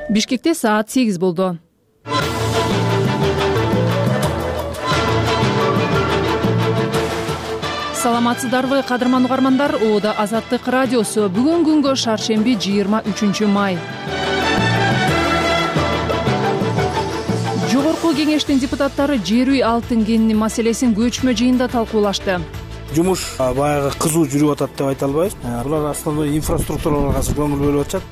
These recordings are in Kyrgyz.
Бишкекте саат 8 болду. Саламатсыздарбы, кадырман угармандар. Ода Азаттык радиосу. Бүгүн күнгө шаршемби 23 май. Жогорку кеңештин депутаттары жер үй алтын кенини маселесин көчмө жыйында талкуулашты. Жумуш баягы кызуу жүрүп атат деп айта албайбыз. Булар основной инфраструктураларга көңүл бөлүп атышат.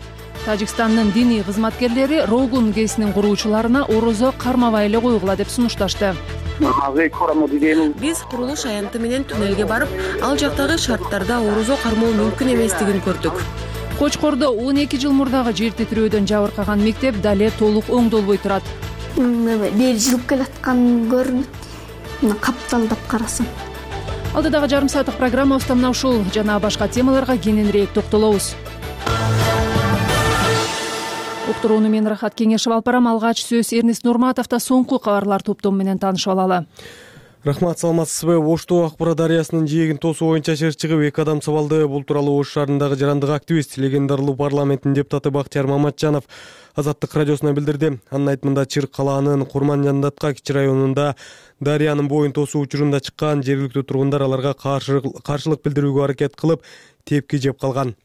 Тажикстандын диний кызматкерлери Рогун ГЭСинин куруучуларына орозо кармабай эле койгула деп сунушташты. Биз курулуш аянты менен туннелге барып, ал жактагы шарттарда орозо кармоо мүмкүн эместигин көрдүк. Кочкордо 12 жыл мурдагы жер титирөөдөн жабыркаган мектеп дале толук оңдолбой турат. Бери жылып келаткан көрүнөт. Капталдап карасаң. Алдыдагы жарым сааттык программабызда мына ушул жана башка темаларга кененирээк токтолобуз. Уктурууну мен Рахат Кеңешев алып барам. Алгач сөз Эрнест Нурматовдо соңку кабарлар топтому менен таанышып алалы. Рахмат, саламатсызбы? Ошту Акбара дарыясынын жээгин тосуу боюнча шер чыгып 2 адам сабалды. Бул тууралуу Ош шаарындагы жарандык активист, легендарлуу парламенттин депутаты Бактияр Маматжанов Азаттык радиосуна билдирди. Анын айтымында Чыр калаанын Курман Жандатка кичи районунда дарыянын боюн тосуу учурунда чыккан жергиликтүү тургундар аларга каршылык билдирүүгө аракет кылып, тепки жеп калган.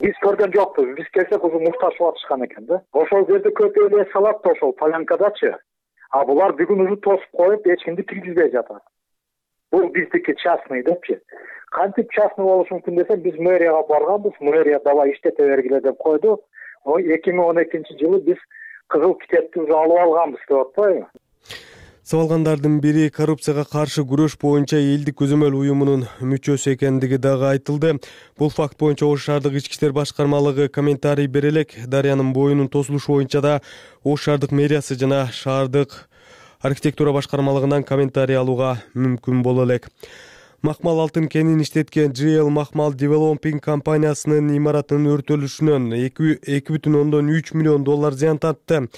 Биз көргөн жокпуз. Биз келсек ушул мукташып атышкан экен да. Ошол жерде көп эле салат да ошол полянкадачы. А булар бүгүн уже тосуп коюп, эч кимди киргизбей жатат. Бул биздики частный депчи. Кантип частный болушу мүмкүн десек, биз мэрияга барганбыз. Мэрия давай иштете бергиле деп койду. 2012-жылы биз кызыл китепти уже алып алганбыз деп атпайбы? Сабалгандардын бири коррупцияга каршы күрөш боюнча элдик көзөмөл уюмунун мүчөсү экендиги дагы айтылды. Бул факт боюнча Ош шаардык ички иштер башкармалыгы комментарий бере элек. Дарыянын боюнун тосулушу боюнча да Ош шаардык мэриясы жана шаардык архитектура башкармалыгынан комментарий алууга мүмкүн боло элек. Махмал алтын кенин иштеткен GL Махмал Developing компаниясынын имаратынын өртөлүшүнөн 2,3 миллион доллар зыян тартты.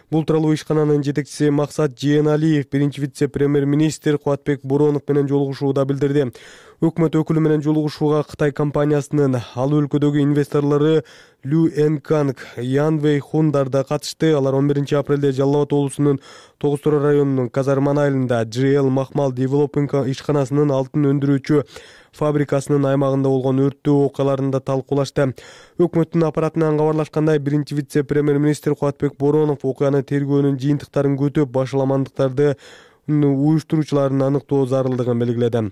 Бул тууралуу ишкананын жетекчиси Максат Жээналиев биринчи вице-премьер-министр Кубатбек Боронов менен жолугушууда билдирди. Өкмөт өкүлү менен жолугушууга Кытай компаниясынын ал өлкөдөгү инвесторлору Лю Энканг, Ян Вэй Хундар да катышты. Алар 11 апрелде Жалал Абад облусунун Тогуз Торой районунун Казарман айылында GL Махмал Developing ишканасынын алтын өндүрүүчү фабрикасынын аймагында болгон өрттөө окуяларында талкуулашты. Өкмөттүн аппаратынан кабарлашкандай, биринчи вице-премьер-министр Кубатбек Боронов окуянын тергөөнүн жыйынтыктарын күтүп, башаламандыктарды уюштуруучуларын аныктоо зарылдыгын белгиледи.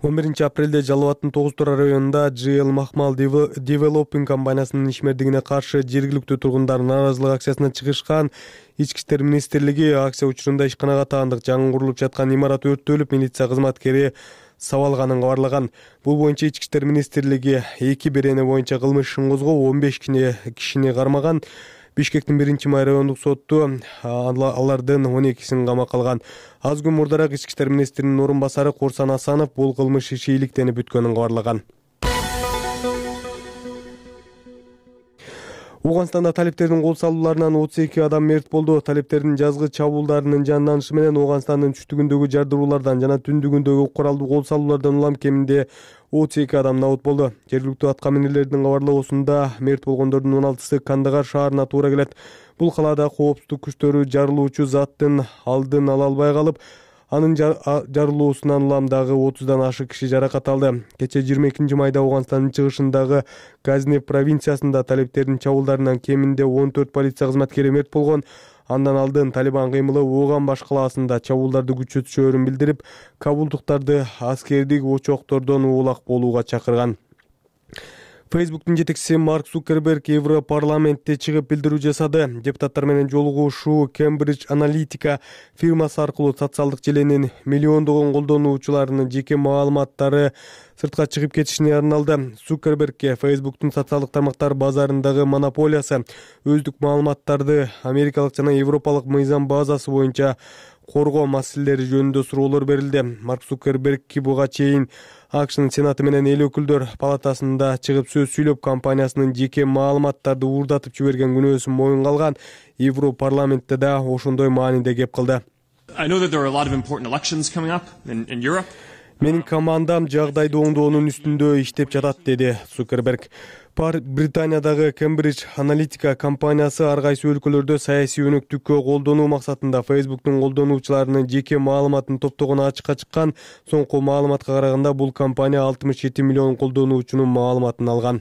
11 апрелде Жалал Абадтын Тогуз Торой районунда GL Махмал Developing компаниясынын ишмердигине каршы жергиликтүү тургундар нааразылык акциясына чыгышкан. Ички иштер министрлиги акция учурунда ишканага таандык жаңы курулуп жаткан имарат өрттөлүп, милиция кызматкери сабалганын кабарлаган. Бул боюнча Ички иштер министрлиги 2 берене боюнча кылмыш ишин козгоп, 15 кишини кармаган. Бишкектин 1-май райондук соту алардын 12син камакка алган. Аз күн мурдараак Ички иштер министринин орун басары Корсан Асанов бул кылмыш иши иликтенип бүткөнүн кабарлаган. Ооганстанда талиптердин кол салууларынан 32 адам мерт болду. Талиптердин жазгы чабуулдарынын жанданышы менен Ооганстандын түштүгүндөгү жардыруулардан жана түндүгүндөгү куралдуу кол салуулардан улам кеминде 32 адам набыт болду. Жергиликтүү атка минерлердин кабарлоосунда мерт болгондордун 16сы Кандагар шаарына туура келет. Бул калаада коопсуздук күчтөрү жарылуучу заттын алдын ала албай калып, анын жарылуусунан улам дагы 30дан ашык киши жаракат алды. Кече 22 майда Ооганстандын чыгышындагы Газнев провинциясында талиптердин чабуулдарынан кеминде 14 полиция кызматкери мерт болгон. Андан алдын Талибан кыймылы Ооган баш калаасында чабуулдарды күчөтүшөөрүн билдирип, кабулдуктарды аскердик очоктордон уулак болууга чакырган. Facebook'тун жетекчиси Марк Цукерберг Европарламентте чыгып билдирүү жасады. Депутаттар менен жолугушуу Cambridge Analytica фирмасы аркылуу социалдык желенин миллиондогон колдонуучуларынын жеке маалыматтары сыртка чыгып кетишине арналды. Цукербергке Facebook'тун социалдык тармактар базарындагы монополиясы, өздүк маалыматтарды америкалык жана европалык мыйзам базасы боюнча коргоо маселелери жөнүндө суроолор берилди. Марк Цукерберг буга чейин АКШнын Сенаты менен эл өкүлдөр палатасында чыгып сөз сүйлөп, компаниясынын жеке маалыматтарды уурдатып жиберген күнөөсүн моюнга алган. Европарламентте да ошондой мааниде кеп кылды. Менин командам жагдайды оңдоонун үстүндө иштеп жатат, деди Цукерберг. Британиядагы Cambridge Analytica компаниясы ар кайсы өлкөлөрдө саясий өнөктүккө колдонуу максатында Facebook'тун колдонуучуларынын жеке маалыматын топтогону ачыкка чыккан. Соңку маалыматка караганда бул компания 67 миллион колдонуучунун маалыматын алган.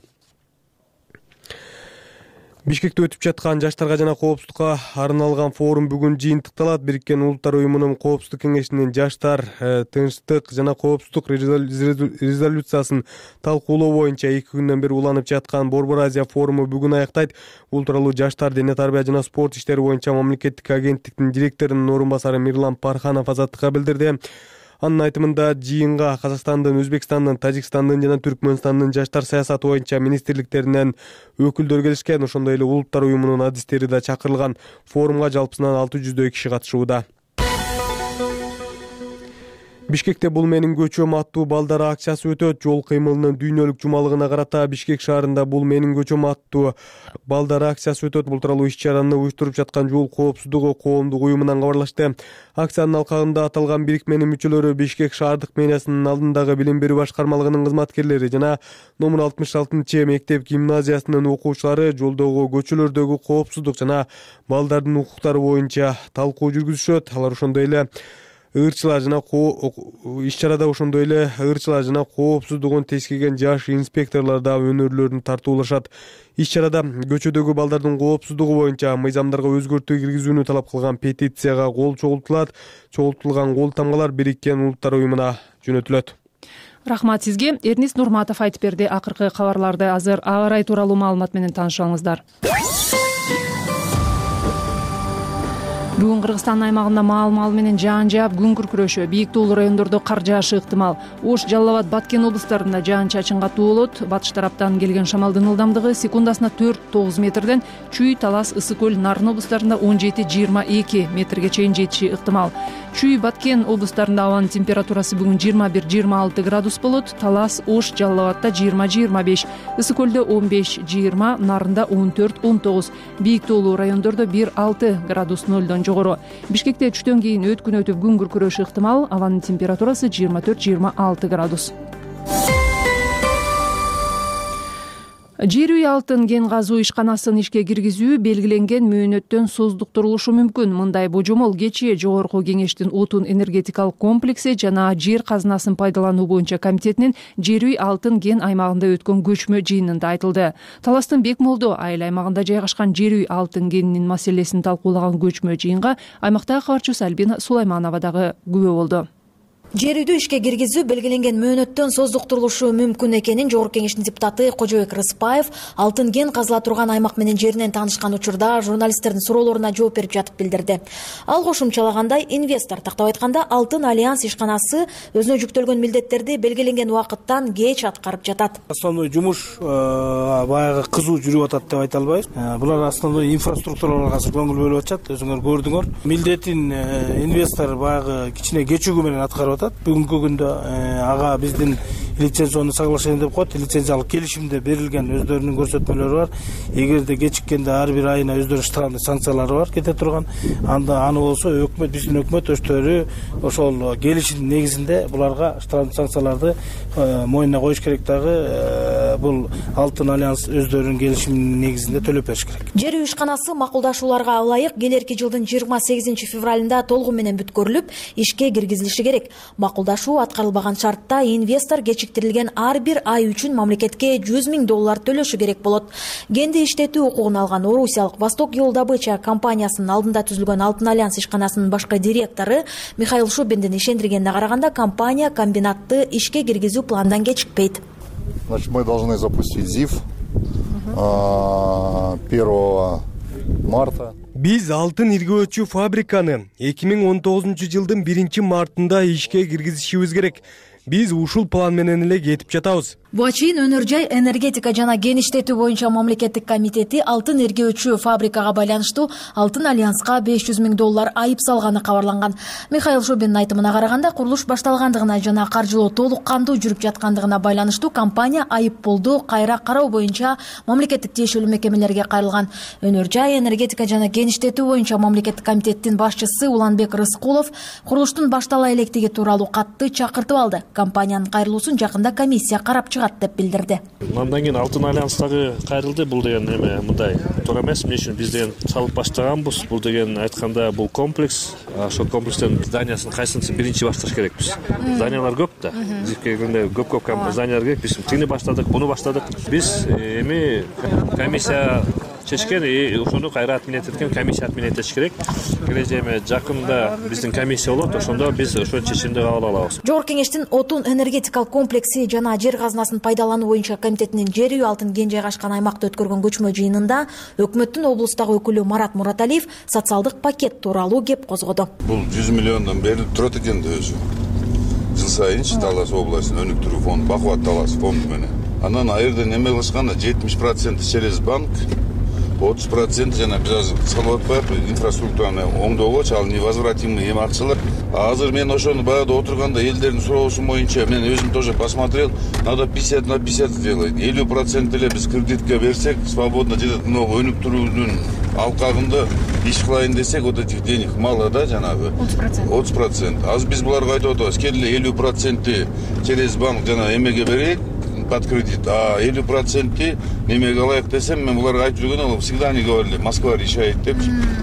Бишкекте өтүп жаткан жаштарга жана коопсуздукка арналган форум бүгүн жыйынтыкталат. Бириккен Улуттар уюмунун Коопсуздук кеңешинин жаштар, тынчтык жана коопсуздук резолюциясын талкуулоо боюнча 2 күндөн бери уланып жаткан Борбор Азия форуму бүгүн аяктайт. Бул тууралуу Жаштар, дене тарбия жана спорт иштери боюнча мамлекеттик агенттиктин директорунун орун басары Мирлан Парханов Азаттыкка билдирди. Анын айтымында жыйынга Казакстандын, Өзбекстандын, Тажикстандын жана Түркмөнстандын жаштар саясаты боюнча министрликтеринен өкүлдөр келишкен. Ошондой эле Улуттар уюмунун адистери да чакырылган. Форумга жалпысынан 600дөй киши катышууда. Бишкекте бул менин көчөм аттуу балдар акциясы өтөт. Жол кыймылынын дүйнөлүк жумалыгына карата Бишкек шаарында бул менин көчөм аттуу балдар акциясы өтөт. Бул тууралуу иш-чараны уюштуруп жаткан Жол коопсуздугу коомдук уюмунан кабарлашты. Акциянын алкагында аталган бирикменин мүчөлөрү Бишкек шаардык мэриясынын алдындагы билим берүү башкармалыгынын кызматкерлери жана номер 66 мектеп гимназиясынын окуучулары жолдогу көчөлөрдөгү коопсуздук жана балдардын укуктары боюнча талкуу жүргүзүшөт. Алар ошондой эле иш-чарада ошондой эле ырчылар жана коопсуздугун тескерген жаш инспекторлор да өнөрлөрүн тартуулашат. Иш-чарада көчөдөгү балдардын коопсуздугу боюнча мыйзамдарга өзгөртүү киргизүүнү талап кылган петицияга кол чогултулат. Чогултулган кол тамгалар Бириккен Улуттар уюмуна жөнөтүлөт. Рахмат сизге. Эрнис Нурматов айтып берди. Акыркы кабарларды азыр аба ырайы тууралуу маалымат менен таанышыңыздар. Бүгүн Кыргызстан аймагында маал менен жаан жаап күн күркүрөшө, бийик туулуу райондордо кар жаашы ыктымал. Ош, Жалал Абад, Баткен облустарында жаан-чачын катуу болот. Батыш тараптан келген шамалдын ылдамдыгы секундасына 4-9 метрден, Чүй, Талас, Ысык көл, Нарын облустарында 17-22 метрге чейин жетиши ыктымал. Чүй, Баткен облустарында абанын температурасы бүгүн 21-26 градус болот. Талас, Ош, Жалал Абадта 20-25, Ысык көлдө 15-20, Нарында 14-19, бийик туулуу райондордо 1-6 градус нөлдөн жогору. Бишкекте түштөн кийин өткүн өтүп күн күркүрөшү ыктымал. Абанын температурасы 24-26 градус. Жер үй алтын кен казуу ишканасын ишке киргизүү белгиленген мөөнөттөн создуктурулушу мүмкүн. Мындай божомол кечээ Жогорку Кеңештин отун энергетикалык комплекси жана жер казынасын пайдалануу боюнча комитетинин жер үй алтын кен аймагында өткөн көчмө жыйынында айтылды. Таластын Бекмолдо айыл аймагында жайгашкан жер үй алтын кенинин маселесин талкуулаган көчмө жыйынга аймактагы кабарчыбыз Альбина Сулайманова дагы күбө болду. Жер үйдү ишке киргизүү белгиленген мөөнөттөн создуктурулушу мүмкүн экенин Жогорку Кеңештин депутаты Кожобек Рыспаев алтын кен казыла турган аймак менен жеринен таанышкан учурда журналисттердин суроолоруна жооп берип жатып билдирди. Ал кошумчалагандай, инвестор тактап айтканда Алтын Альянс ишканасы өзүнө жүктөлгөн милдеттерди белгиленген убакыттан кеч аткарып жатат. Основной жумуш баягы кызуу жүрүп атат деп айта албайбыз. Булар основной инфраструктураларга көңүл бөлүп атышат. Өзүңөр көрдүңөр. Милдетин инвестор баягы кичине кечүүгү менен аткарып. Бүгүнкү күндө ага биздин лицензионный соглашение деп коет, лицензиялык келишимде берилген өздөрүнүн көрсөтмөлөрү бар. Эгерде кечиккенде ар бир айына өздөрүнүн штрафный санкциялары бар кете турган. Аны болсо өкмөт, биздин өкмөт өчтөрү ошол келишимдин негизинде буларга штрафный санкцияларды мойнуна коюш керек. Дагы бул Алтын Альянс өздөрүнүн келишиминин негизинде төлөп бериш керек. Жер үй ишканасы макулдашууларга ылайык келерки жылдын 28 февралында толугу менен бүткөрүлүп, ишке киргизилиши керек. Макулдашуу аткарылбаган шартта инвестор кечиктирилген ар бир ай үчүн мамлекетке $100 000 төлөшү керек болот. Кенди иштетүү укугун алган Орусиялык Восток Yol Добыча компаниясынын алдында түзүлгөн Алтын Альянс ишканасынын башкы директору Михаил Шубиндин ишендиргенине караганда, компания комбинатты ишке киргизүү пландан кечикпейт. Значит, мы должны запустить ЗИФ 1 марта. Биз алтын иргөөчү фабриканы 2019 жылдын 1 мартында ишке киргизишибиз керек. Биз ушул план менен эле кетип жатабыз. Буга чейин Өнөр жай энергетика жана кен иштетүү боюнча мамлекеттик комитети алтын иргөөчү фабрикага байланыштуу Алтын Альянска $500 000 айып салганы кабарланган. Михаил Шубиндин айтымына караганда, курулуш башталгандыгына жана каржылоо толук кандуу жүрүп жаткандыгына байланыштуу компания айыппулду кайра кароо боюнча мамлекеттик тиешелүү мекемелерге кайрылган. Өнөр жай энергетика жана кен иштетүү боюнча мамлекеттик комитеттин башчысы Уланбек Рыскулов курулуштун баштала электиги тууралуу катты чакыртып алды. Компаниянын кайрылуусун жакында комиссия карап чыгат деп билдирди. Андан кийин Алтын альянс дагы кайрылды. Бул деген эме мындай туура эмес. Эмне үчүн биз деген салып баштаганбыз. Бул деген айтканда бул комплекс. Ошол комплекстен зданиясын кайсынысы биринчи башташ керекпиз. Зданиялар көп да. Биз келгенде көп зданиялар керек. Биз тигини баштадык, буну баштадык. Биз эми комиссия чечкен, ошону кайра отменять эткен комиссия отменять этиш керек. Эми жакында биздин комиссия болот, ошондо биз ошол чечимди кабыл алабыз. Жогорку кеңештин отун энергетикалык комплекси жана жер казынасын пайдалануу боюнча комитетинин жер үй алтын кен жайгашкан аймакта өткөргөн көчмө жыйынында өкмөттүн облустагы өкүлү Марат Мураталиев социалдык пакет тууралуу кеп козгоду. Бул 100 миллиондон берилип турат экен да өзү. Жыл сайынчы Талас областынын өнүктүрүү фонду, Бакубат Талас фонду менен. Анан айырдан эме кылышканда 70% через банк, 30% жана биз азыр салып атпайбы инфраструктураны оңдоогочу, ал невозвратимый эме акчалар. Азыр мен ошону баягы отурганда элдердин суроосу боюнча мен өзүм тоже посмотрел, надо 50 на 50 сделать. 50% эле биз кредитке берсек, свободно жетет. Но өнүктүрүүнүн алкагында иш кылайын десек, вот этих денег мало да, жанагы 30%. Азыр биз буларга айтып атабыз, келе 50% через банк жана эмеге берейик под кредит, а 50% немеге алайык десем, мен буларга айтып жүргөн, всегда они говорили, Москва решает деп.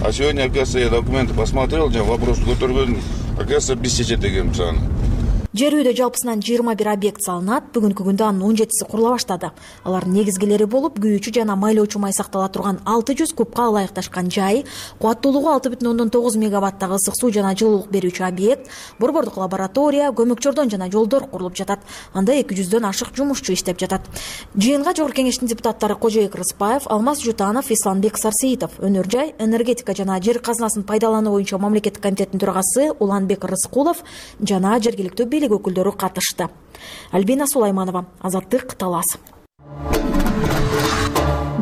А сегодня, оказывается, я документы посмотрел, вопрос көтөргөн, оказывается, биз чечет экенбиз аны. Жер үйдө жалпысынан 21 объект салынат. Бүгүнкү күндө анын 17си курула баштады. Алардын негизгилери болуп, күйүүчү жана майлоочу май сактала турган 600 кубка ылайыкташкан жай, кубаттуулугу 6,9 мегаваттагы ысык суу жана жылуулук берүүчү объект, борбордук лаборатория, көмөкчөрдөн жана жолдор курулуп жатат. Анда 200дөн ашык жумушчу иштеп жатат. Жыйынга жогорку кеңештин депутаттары Кожоек Рыспаев, Алмаз Жутанов, Исламбек Сарсеитов, өнөр жай, энергетика жана жер казынасын пайдалануу боюнча мамлекеттик комитеттин төрагасы Уланбек Рыскулов жана жергиликтүү өкүлдөрү катышты. Альбина Сулайманова, Азаттык, Талас.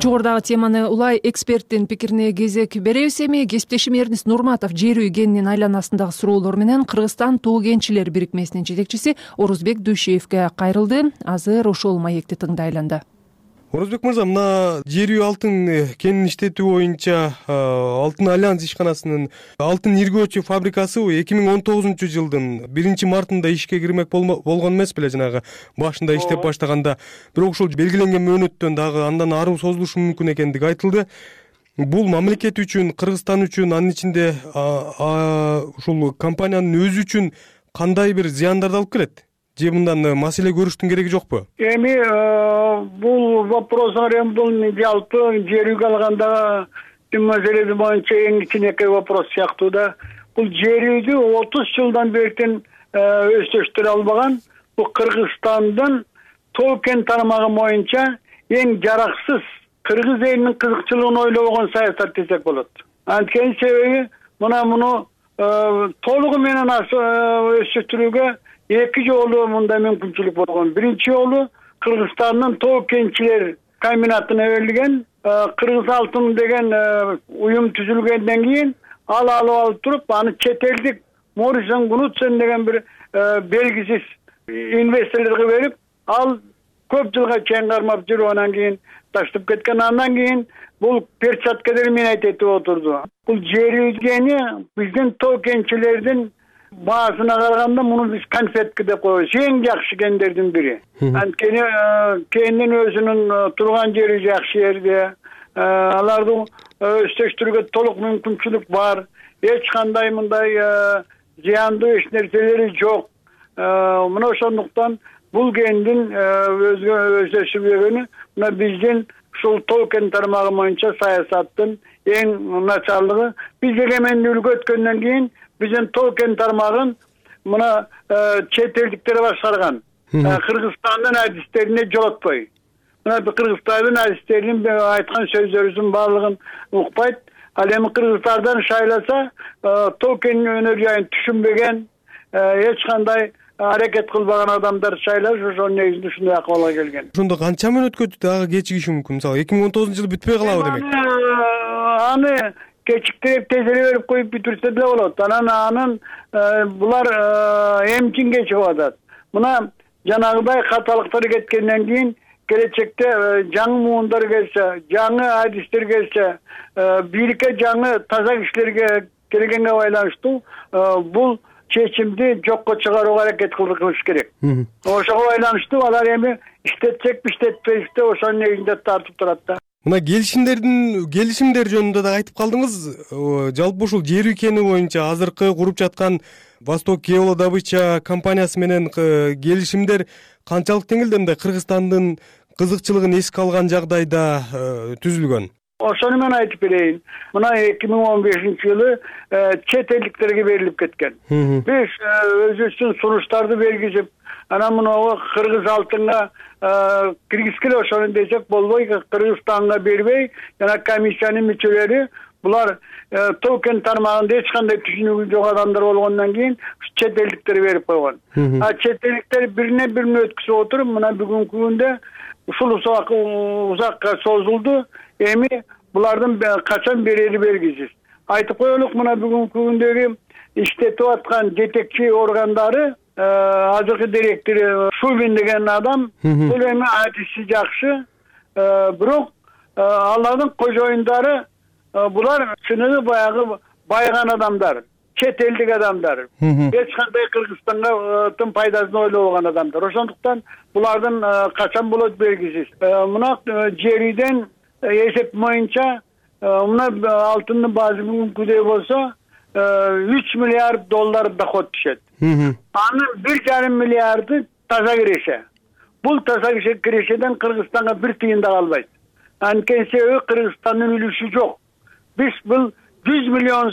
Жогорудагы теманы улай эксперттин пикирине кезек беребиз. Эми кесиптешим Эрнис Нурматов жер үй кенинин айланасындагы суроолор менен Кыргызстан Тоо кенчилер бирикмесинин жетекчиси Орозбек Дүйшеевге кайрылды. Азыр ошол маекти тыңдайланды. Орозбек мырза, мына жер үй алтын кенин иштетүү боюнча Алтын альянс ишканасынын алтын иргөөчү фабрикасы 2019 жылдын 1-мартында ишке кирмек болгон эмес беле, жанагы башында иштеп баштаганда. Бирок ушул белгиленген мөөнөттөн дагы андан ары созулушу мүмкүн экендиги айтылды. Бул мамлекет үчүн, Кыргызстан үчүн, анын ичинде ушул компаниянын өзү үчүн кандай бир зыяндарды алып келет? Же мындан маселе көрүштүн кереги жокпу? Эми бул вопростор бул жалпы жер үйгө алгандагы маселеси боюнча эң кичинекей вопрос сыяктуу да. Бул жер үйдү 30 жылдан бери өздөштүрө албаган бул Кыргызстандын Тоо кен тармагы боюнча эң жараксыз кыргыз элинин кызыкчылыгын ойлобогон саясат десек болот. Анткени себеби муну толугу менен өздөштүрүүгө эки жолу мындай мүмкүнчүлүк болгон. Биринчи жолу Кыргызстандын Тоо кенчилер комбинатына берилген Кыргыз алтын деген уюм түзүлгөндөн кийин ал алып туруп, аны чет элдик Морисон Гнутсен деген бир белгисиз инвесторлорго берип, ал көп жылга чейин кармап жүрүп, анан кийин таштап кеткен. Андан кийин бул перчаткалар менен этип отурду. Бул жер үйгени биздин Тоо кенчилердин баасына караганда муну биз конфетка деп коебуз. Эң жакшы кендердин бири. Анткени кендин өзүнүн турган жери жакшы жерде, аларды өздөштүрүүгө толук мүмкүнчүлүк бар. Эч кандай мындай зыяндуу эч нерселери жок. Мына ошондуктан бул кендин өздөштүрүлгөнү мына биздин ушул Тоо кен тармагы боюнча саясаттын эң начарлыгы. Биз эгемендүүлүккө өткөндөн кийин биздин Тоо кен тармагын мына чет элдиктер башкарган. Кыргызстандын адистерине жолотпой. Мына Кыргызстандын адистеринин айткан сөздөрүнүн баардыгын укпайт. Ал эми кыргыздардан шайласа, Тоо кен өнөр жайын түшүнбөгөн, эч кандай аракет кылбаган адамдар шайлаш, ошонун негизинде ушундай акыбалга келген. Ошондо канча мөөнөткө дагы кечигиши мүмкүн? Мисалы 2019 жылы бүтпөй калабы демек? Аны кечиктирип тезелеп берип коюп бүтүрсө деле болот. Анан булар эмчин кечигип атат. Мына жанагыдай каталыктар кеткенден кийин келечекте жаңы муундар келсе, жаңы адистер келсе, бийликке жаңы таза кишилерге келгенге байланыштуу бул чечимди жокко чыгарууга аракет кылыш керек. Ошого байланыштуу алар эми иштетсекпи иштетпейбизби ошонун негизинде тартып турат да. Мына келишимдер жөнүндө да айтып калдыңыз. Жалпы ушул жер өлкөнү боюнча азыркы куруп жаткан Восток геолодобыча компаниясы менен келишимдер канчалык деңгээлде мындай Кыргызстандын кызыкчылыгын эске алган жагдайда түзүлгөн? Ошону мен айтып берейин. Мына 2015-жылы чет элдиктерге берилип кеткен. Биз өзүбүздүн сунуштарды бергизип, анан мынау кыргыз алтынга киргизгиле ошону десек болбой, Кыргызстанга бербей, жана комиссиянын мүчөлөрү булар токен тармагында эч кандай түшүнүгү жок адамдар болгондон кийин чет элдиктерге берип койгон. Чет элдиктер бирине бирине өткүзүп отуруп, мына бүгүнкү күндө ушул узакка созулду. Эми булардын качан берери белгисиз. Айтып коелук, мына бүгүнкү күндөгү иштетип аткан жетекчи органдары азыркы директор Шубин деген адам бул эми адиси жакшы, бирок алардын кожоюндары булар чыныгы баягы байган адамдар, чет элдик адамдар. Эч кандай Кыргызстанга тым пайдасын ойлобогон адамдар. Ошондуктан булардын качан болот белгисиз. Мына жер үйдөн эсеп боюнча мына алтындын баасы бүгүнкүдөй болсо 3 миллиард доллар доход түшөт. Анын 1,5 миллиарды таза киреше. Бул таза кирешеден Кыргызстанга бир тыйын да калбайт. Анткени себеби Кыргызстандын үлүшү жок. Биз бул 100 миллион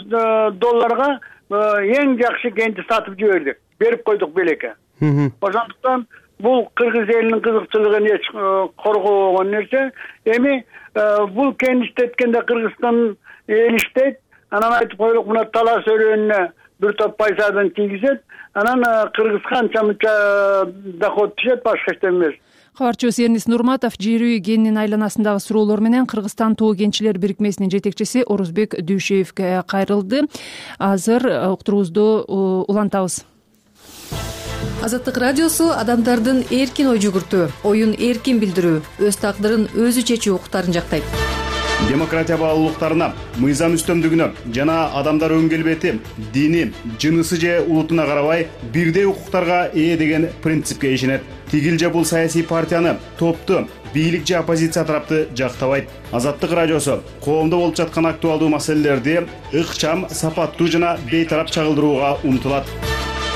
долларга эң жакшы кенти сатып жибердик. Берип койдук белекке. Ошондуктан бул кыргыз элинин кызыкчылыгын эч коргобогон нерсе. Эми бул кен иштеткенде Кыргызстан эл иштейт. Анан айтып коелук, мына талас өрөөнүнө бир топ пайсадан тийгизет. Анан Кыргыз канча доход түшөт, башка эч эмес. Кабарчыбыз Эрнис Нурматов жер үй кенинин айланасындагы суроолор менен Кыргызстан тоо кенчилер бирикмесинин жетекчиси Орузбек Дүйшеевге кайрылды. Азыр уктуруубузду улантабыз. Азаттык радиосу адамдардын эркин ой жүгүртүү, оюн эркин билдирүү, өз тагдырын өзү чечүү укуктарын жактайт. Демократия баалуулуктарына, мыйзам үстөмдүгүнө жана адамдар өң келбети, дини, жынысы же улутуна карабай бирдей укуктарга ээ деген принципке ишенет. Тигил же бул саясий партияны, топту, бийлик же оппозиция тарапты жактабайт. Азаттык радиосу коомдо болуп жаткан актуалдуу маселелерди ыкчам, сапаттуу жана бейтарап чагылдырууга умтулат.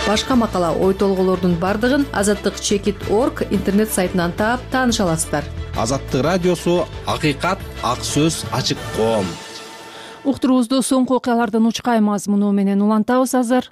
Башка макала, ой толгоолордун бардыгын azattik.org интернет сайтынан таап тааныша аласыздар. Азаттык радиосу акыйкат, ак сөз, ачык коом. Уктуруубузду соңку окуялардын учкай мазмуну менен улантабыз азыр.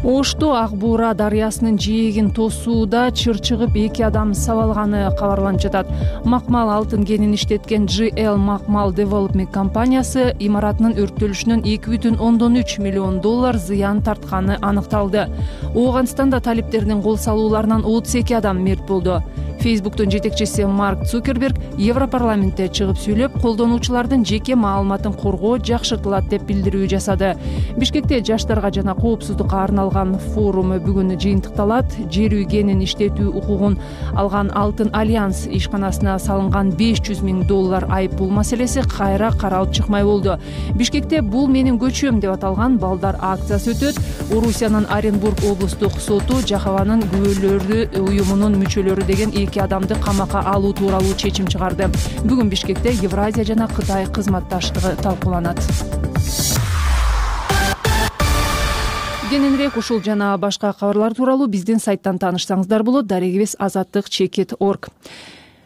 Ошто Ак Буура дарыясынын жээгин тосууда чыр чыгып 2 адам сабалганы кабарланып жатат. Макмал алтын кенин иштеткен GL Макмал Development компаниясы имаратынын өрттөлүшүнөн 2,3 миллион доллар зыян тартканы аныкталды. Ооганстанда талиптердин кол салууларынан 32 адам мерт болду. Facebook'тун жетекчиси Марк Цукерберг Европарламентте чыгып сүйлөп, колдонуучулардын жеке маалыматын коргоо жакшыртылат деп билдирүү жасады. Бишкекте жаштарга жана коопсуздукка арналган форум бүгүн жыйынтыкталат. Жер үй кенин иштетүү укугун алган Алтын Альянс ишканасына салынган 500 миң доллар айыппул маселеси кайра каралып чыкмай болду. Бишкекте бул менин көчөм деп аталган балдар акциясы өтөт. Орусиянын Оренбург облустук соту Жахаванын күбөлөрү уюмунун мүчөлөрү деген 2 адамды камакка алуу тууралуу чечим чыгарды. Бүгүн Бишкекте Евразия жана Кытай кызматташтыгы талкууланат. Кененирээк ушул жана башка кабарлар тууралуу биздин сайттан таанышсаңыздар болот. Дарегибиз azattik.org.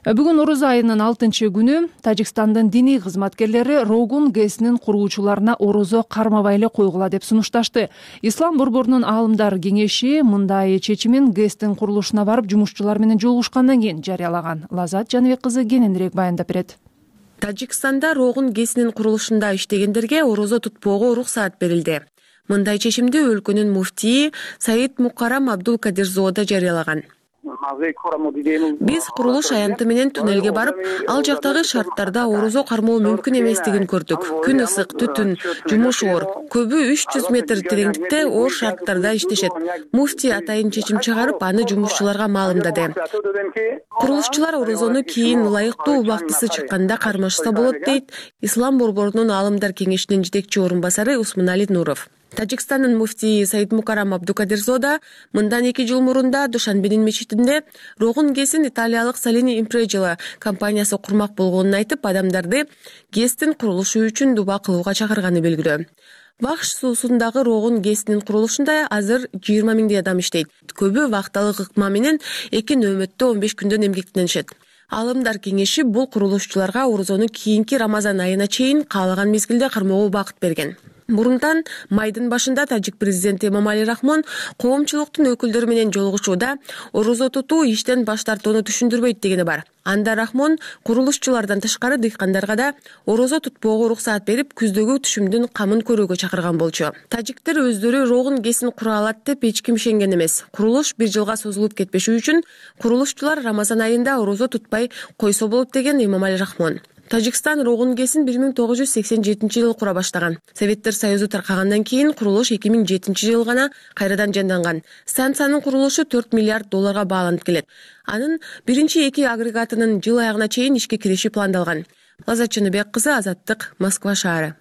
Бүгүн Орозо айынын 6-күнү Тажикстандын диний кызматкерлери Рогун ГЭСинин куруучуларына орозо кармабай эле койгула деп сунушташты. Ислам борборунун аалымдар кеңеши мындай чечимин ГЭСтин курулушуна барып жумушчулар менен жолугушкандан кийин жарыялаган. Лазат Жаныбек кызы кененирээк баяндап берет. Тажикстанда Рогун ГЭСинин курулушунда иштегендерге орозо тутпоого уруксаат берилди. Мындай чечимди өлкөнүн муфтии Саид Мукарам Абдулкадирзода жарыялаган. Биз курулуш аянты менен туннелге барып, ал жактагы шарттарда орозо кармоо мүмкүн эместигин көрдүк. Күн ысык, түтүн, жумуш оор. Көбү 300 метр тереңдикте оор шарттарда иштешет. Муфти атайын чечим чыгарып, аны жумушчуларга маалымдады. Курулушчулар орозону кийин ылайыктуу убактысы чыкканда кармашса болот дейт Ислам борборунун аалымдар кеңешинин жетекчи орун басары Усмунали Нуров. Тажикстандын муфтийи Саид Мукарам Абдукадирзода мындан 2 жыл мурунда Душанбенин мечитинде Рогун ГЭСин италиялык Салини Импреджила компаниясы курмак болгонун айтып, адамдарды ГЭСтин курулушу үчүн дуба кылууга чакырганы белгилүү. Вахш суусундагы Рогун ГЭСинин курулушунда азыр 20 миңдей адам иштейт. Көбү вакталык ыкма менен 2 нөөмөттө 15 күндөн эмгектенишет. Алымдар кеңеши бул курулушчуларга орозону кийинки Рамазан айына чейин каалаган мезгилде кармоого убакыт берген. Мурунтан майдын башында тажик президенти Эмомали Рахмон коомчулуктун өкүлдөрү менен жолугушууда орозо тутуу иштен баш тартууну түшүндүрбөйт дегени бар. Анда Рахмон курулушчулардан тышкары дыйкандарга да орозо тутпоого уруксаат берип, күздөгү түшүмдүн камын көрүүгө чакырган болчу. Тажиктер өздөрү Рогун ГЭСин кура алат деп эч ким ишенген эмес. Курулуш 1 жылга созулуп кетпеши үчүн курулушчулар Рамазан айында орозо тутпай койсо болот деген Эмомали Рахмон. Тажикстан Рогун ГЭСин 1987-жылы кура баштаган. Советтер Союзу таркагандан кийин курулуш 2007-жылы гана кайрадан жанданган. Станциянын курулушу $4 миллиард бааланып келет. Анын биринчи 2 агрегатынын жыл аягына чейин ишке кириши пландалган. Лаззат Чыныбек кызы, Азаттык, Москва шаары.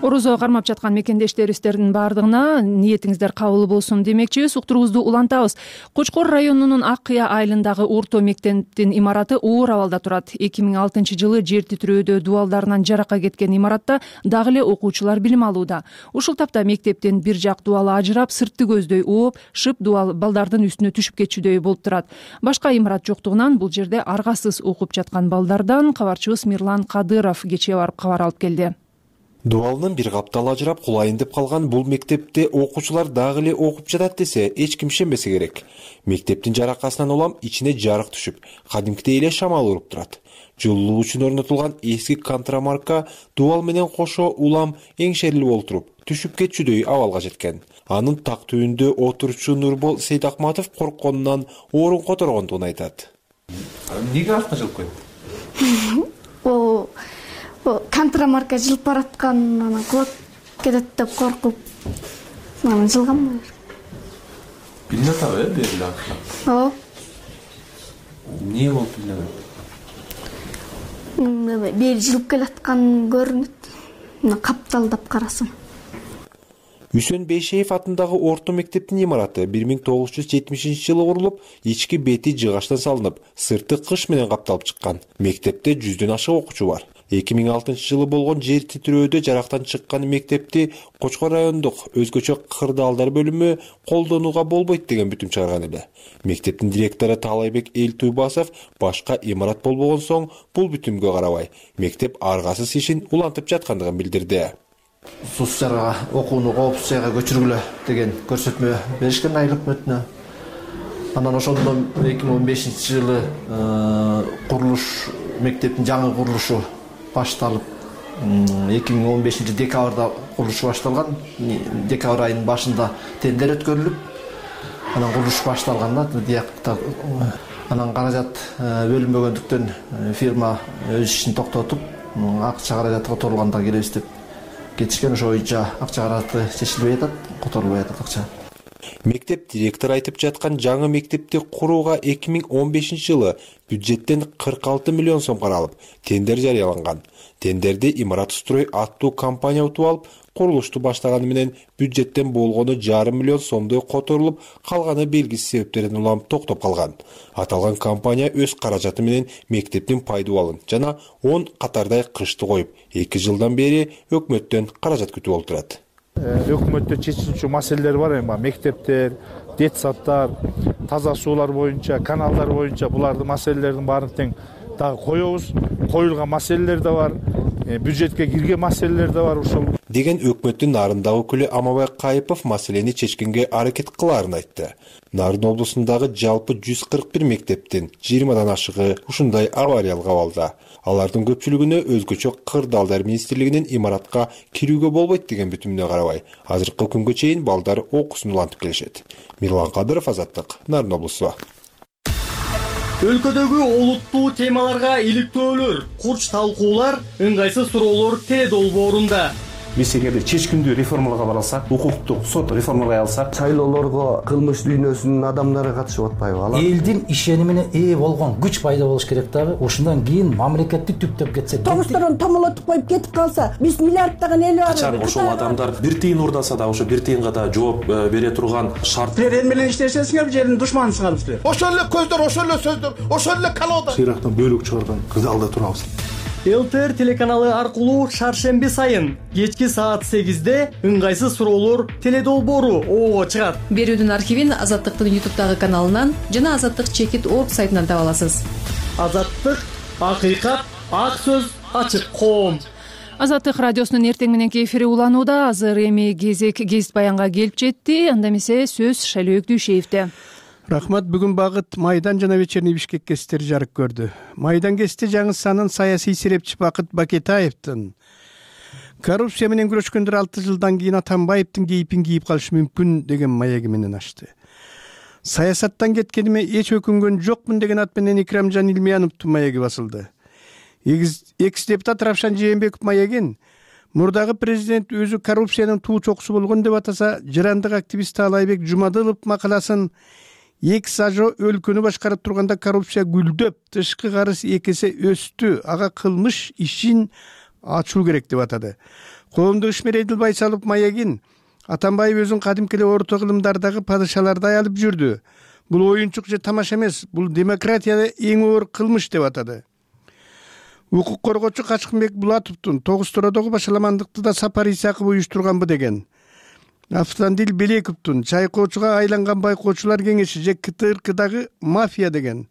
Орозо кармап жаткан мекендештерибиздин баардыгына ниетиңиздер кабыл болсун демекчибиз. Уктуруубузду улантабыз. Кочкор районунун Ак Кыя айылындагы орто мектептин имараты оор абалда турат. 2006-жылы жер титирөөдө дубалдарынан жаракка кеткен имаратта дагы эле окуучулар билим алууда. Ушул тапта мектептин бир жак дубалы ажырап, сыртты көздөй ооп, шып дубал балдардын үстүнө түшүп кетчүдөй болуп турат. Башка имарат жоктугунан бул жерде аргасыз окуп жаткан балдардан кабарчыбыз Мирлан Кадыров кечээ барып кабар алып келди. Дубалынын бир капталы ажырап кулайын деп калган бул мектепте окуучулар дагы эле окуп жатат десе эч ким ишенбесе керек. Мектептин жаракасынан улам ичине жарык түшүп, кадимкидей эле шамал уруп турат. Жылуу үчүн орнотулган эски контрамарка дубал менен кошо улам эңшерилип олтуруп, түшүп кетчүдөй абалга жеткен. Анын так түбүндө отурчу Нурбол Сейдакматов коркконунан орун которгондугун айтат. Эмнеге артына жылып кетти? Контрамарка жылып бараткан, кулап кетет деп коркуп, жылгам. Билине атабы, бериле артына? Ооба. Эмне болуп билине? Бери жылып келаткан көрүнөт. Капталдап карасам. Үсөн Бейшеев атындагы орто мектептин имараты 1970-жылы курулуп, ички бети жыгаштан салынып, сырты кыш менен капталып чыккан. Мектепте 100дөн ашык окуучу бар. 2006-жылы болгон жер титирөөдө жарактан чыккан мектепти Кочкор райондук өзгөчө кырдаалдар бөлүмү колдонууга болбойт деген бүтүм чыгарган эле. Мектептин директору Таалайбек Элтуйбасов башка имарат болбогон соң бул бүтүмгө карабай, мектеп аргасыз ишин улантып жаткандыгын билдирди. Сусчарга окууну коопсуз жайга көчүргүлө деген көрсөтмө беришкен айыл өкмөтүнө. Анан ошондон 2015-жылы курулуш мектептин жаңы курулушу башталып, 2015 декабрда курулуш башталган. Декабрь айынын башында тендер өткөрүлүп, анан курулуш башталганда анан каражат бөлүнбөгөндүктөн фирма өз ишин токтотуп, акча каражаты которулганда келебиз деп кетишкен. Ошо боюнча акча каражаты чечилбей атат, которулбай атат акча. Мектеп директору айтып жаткан жаңы мектепти курууга 2015-жылы бюджеттен 46 миллион сом каралып, тендер жарыяланган. Тендерди Имарат Строй аттуу компания утуп алып, курулушту баштаганы менен бюджеттен болгону 5,5 миллион сомдой которулуп, калганы белгисиз себептерден улам токтоп калган. Аталган компания өз каражаты менен мектептин пайдубалын жана 10 катардай кышты коюп, 2 жылдан бери өкмөттөн каражат күтүп отурат. Өкмөттө чечилчү маселелер бар эми, мектептер, детсаддар, таза суулар боюнча, каналдар боюнча булардын маселелердин баарын тең дагы коебуз. Коюлган маселелер да бар, бюджетке кирген маселелер да бар ушул. Деген өкмөттүн Нарындагы өкүлү Амабай Кайыпов маселени чечкенге аракет кылаарын айтты. Нарын облусундагы жалпы 141 мектептин 20дан ашыгы ушундай авариялык абалда. Алардын көпчүлүгүнө өзгөчө кырдаалдар министрлигинин имаратка кирүүгө болбойт деген бүтүмүнө карабай, азыркы күнгө чейин балдар окуусун улантып келишет. Мирлан Кадыров, Азаттык, Нарын облусу. Өлкөдөгү олуттуу темаларга иликтөөлөр, курч талкуулар, ыңгайсыз суроолор теле долбоорунда. Биз эгерде чечкиндүү реформаларга бара алсак, укуктук сот реформалай алсак, шайлоолорго кылмыш дүйнөсүнүн адамдары катышып атпайбы? Алар элдин ишенимине ээ болгон күч пайда болуш керек дагы. Ошондон кийин мамлекетти түптөп кетсе, тогустарын томолотуп коюп кетип калса, биз миллиарддаган эл бар. Качан ошол адамдар бир тыйын урдаса да, ошо бир тыйынга да жооп бере турган шарт. Силер эл менен иштесеңер, бир жердин душманысыңар силер. Ошол эле көздөр, ошол эле сөздөр, ошол эле колода. Шыйрактан бөлүк чыгарган кырдаалда турабыз. ЛТР телеканалы аркылуу шаршемби сайын кечки саат 8-де ыңгайсыз суроолор теледолбоору ого чыгат. Берүүдүн архивин Азаттыктын YouTube'дагы каналынан жана azаттык.org сайтынан таба аласыз. Азаттык, акыйкат, ак сөз, ачык коом. Азаттык радиосунун эртең мененки эфири уланууда. Азыр эми кезек гезит баянга келип жетти. Анда эмесе сөз Шайлоок Дүйшеевде. Рахмат. Бүгүн Багыт Майдан жана Вечерний Бишкек гезиттери жарык көрдү. Майдан гезити жаңы санын саясий серепчи Бакыт Бакетаевдин коррупция менен күрөшкөндөр 6 жылдан кийин Атамбаевдин кейпин кийип калышы мүмкүн деген маяги менен ачты. Саясаттан кеткениме эч өкүнгөн жокмун деген ат менен Икрамжан Илмияновдун маяги басылды. Экс-депутат Равшан Жээнбеков маягин мурдагы президент өзү коррупциянын туу чокусу болгон деп атаса, жырандык активист Таалайбек Жумадылов макаласын экс-ажо өлкөнү башкарып турганда коррупция гүлдөп, тышкы карыз 2 эсе өстү, ага кылмыш ишин ачуу керек деп атады. Коомдук ишмер Эдил Байсалов маягин Атамбаев өзүн кадимки эле орто кылымдардагы падышалардай алып жүрдү. Бул оюнчук же тамаша эмес, бул демократияда эң оор кылмыш деп атады. Укук коргоочу Качкынбек Булатовдун Тогуз-Тородогу башаламандыкты да Сапар Исаков уюштурганбы деген. Автандил Белековдун чайкоочуга айланган байкоочулар кеңеши же КТРКдагы мафия деген.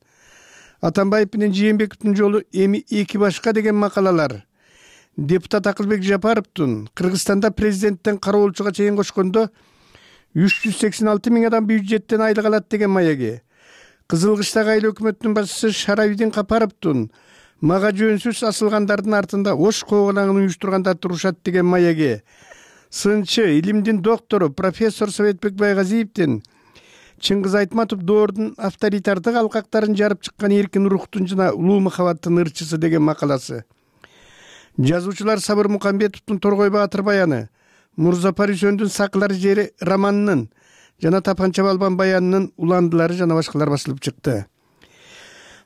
Атамбаев менен Жээнбековдун жолу эми эки башка деген макалалар. Депутат Акылбек Жапаровдун Кыргызстанда президенттен кароолчуга чейин кошкондо 386 миң адам бюджеттен айлык алат деген маяги. Кызылкыштагы айыл өкмөтүнүн башчысы Шаравидин Капаровдун мага жөнсүз асылгандардын артында ош коголаңын уюштургандар турушат деген маяги. Сынчы, илимдин доктору профессор Советбек Байгазиевдин Чыңгыз Айтматов доордун авторитардык алкактарын жарып чыккан эркин рухтун жана улуу махабаттын ырчысы деген макаласы. Жазуучулар Сабыр Мукамбетовдун Торгой Баатыр баяны, Мурзапар Үсөндүн Сакылар жери романынын жана Тапанча Балбан баянынын уландылары жана башкалар басылып чыкты.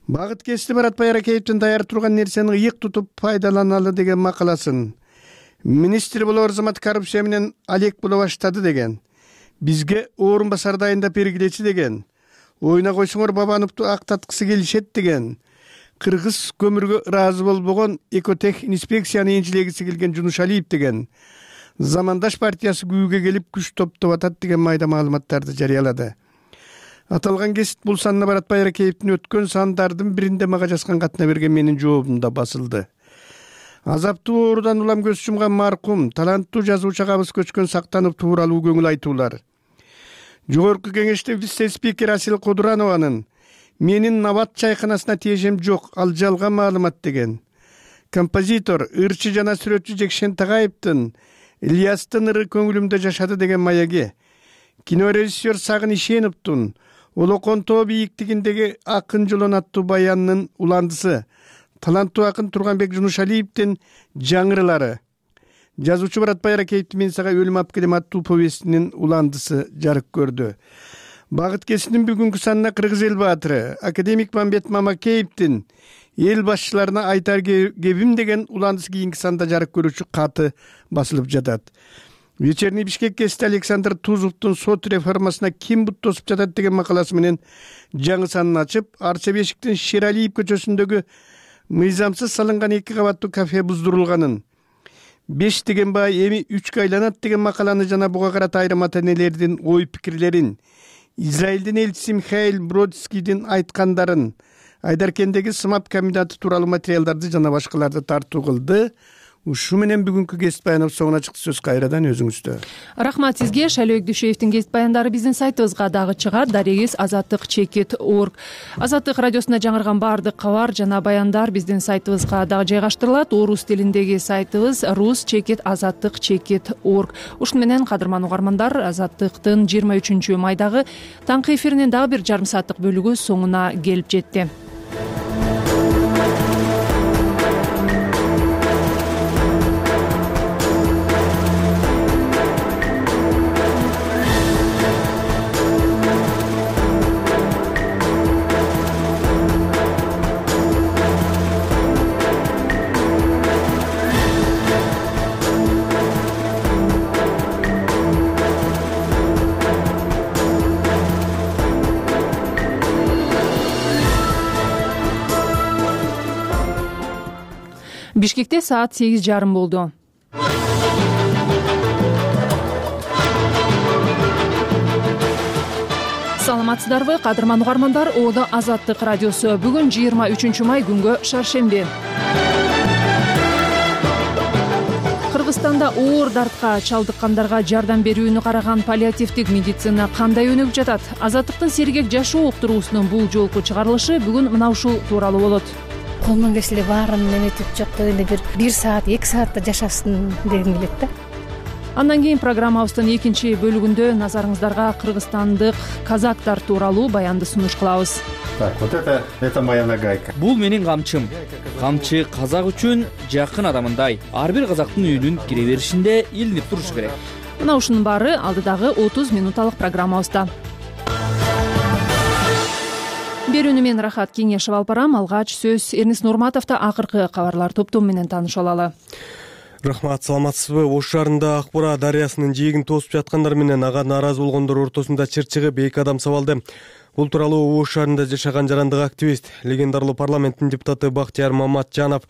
Багыт Кести Марат Байракеевдин даяр турган нерсени ыйык тутуп пайдаланалы деген макаласын. Министр болор замат коррупция менен алек боло баштады деген. Бизге орун басар дайындап бергилечи деген. Ойна койсоңор Бабановду актаткысы келишет деген. Кыргыз көмүргө ыраазы болбогон экотех инспекцияны инжилегиси келген Жунушалиев деген. Замандаш партиясы күүгө келип күч топтоп атат деген майда маалыматтарды жарыялады. Аталган гезит бул санына Барат Байракеевдин өткөн сандардын биринде мага жазган катына берген менин жообумда басылды. Азаптуу оорудан улам көз жумган маркум, таланттуу жазуучу Кабыс Көчкөн Сактанов тууралуу көңүл айтуулар. Жогорку кеңештин вице-спикер Асил Кодуранованын менин Набат чайканасына тиешем жок, ал жалган маалымат деген. Композитор, ырчы жана сүрөтчү Жекшен Тагаевдин Ильястын ыры көңүлүмдө жашады деген маяги. Кинорежиссер Сагын Ишеновдун Олокон тоо бийиктигиндеги акын жолон аттуу баянынын уландысы. Таланттуу акын Турганбек Жунушалиевдин жаңырылары. Жазуучу Барат Байракеевдин Мен сага өлүм алып келем аттуу повестинин уландысы жарык көрдү. Багыт Кесинин бүгүнкү санына Кыргыз эл баатыры академик Мамбет Мамакеевдин эл башчыларына айтар кебим деген уландысы кийинки санда жарык көрүүчү каты басылып жатат. Вечерний Бишкек гезити Александр Тузовдун сот реформасына ким бут тосуп жатат деген макаласы менен жаңы санын ачып, Арча Бешиктин Шералиев көчөсүндөгү мыйзамсыз салынган 2 кабаттуу кафе буздурулганын, 5 деген бай эми 3 айланат деген макаланы жана буга карата айрым ата-энелердин ой пикирлерин, Израилдин элчиси Михаил Бродскийдин айткандарын, Айдаркендеги сымап комбинаты тууралуу материалдарды жана башкаларды тартуу кылды. Ушу менен бүгүнкү гезит баяныбыз соңуна чыкты. Сөз кайрадан өзүңүздө. Рахмат сизге. Шайлоок Дүйшеевдин гезит баяндары биздин сайтыбызга дагы чыгат. Дарегиз azattik.org. Азаттык радиосунда жаңырган баардык кабар жана баяндар биздин сайтыбызга дагы жайгаштырылат. Орус тилиндеги сайтыбыз rus.azattik.org. Ушун менен кадырман угармандар, Азаттыктын 23 майдагы таңкы эфиринин дагы бир жарым сааттык бөлүгү соңуна келип жетти. Бишкекте саат 8:30 болду. Саламатсыздарбы, кадырман угармандар? Оодо Азаттык радиосу. Бүгүн 23 май күнгө шаршемби. Кыргызстанда оор дартка чалдыккандарга жардам берүүнү караган паллиативдик медицина кандай өнүгүп жатат? Азаттыктын сергек жашоо уктуруусунун бул жолку чыгарылышы бүгүн мына ушул тууралуу болот. Колунан келсе эле баарын эметип, жок дегенде бир саат, 2 саатта жашасын дегим келет да. Андан кийин программабыздын экинчи бөлүгүндө назарыңыздарга кыргызстандык казактар тууралуу баянды сунуш кылабыз. Так, вот это моя нагайка. Бул менин камчым. Камчы казак үчүн жакын адамындай. Ар бир казактын үйүнүн кире беришинде илинип турушу керек. Мына ушунун баары алдыдагы 30 минуталык программабызда. Берүүнү мен Рахат Кеңешева алып барам. Алгач сөз Эрнис Нурматовдо акыркы кабарлар топтому менен тааныша алалы. Рахмат, саламатсызбы? Ош шаарында Акбура дарыясынын жээгин тосуп жаткандар менен ага нааразы болгондор ортосунда чыр чыгып 2 адам сабалды. Бул тууралуу Ош шаарында жашаган жарандык активист, легендарлуу парламенттин депутаты Бактияр Маматжанов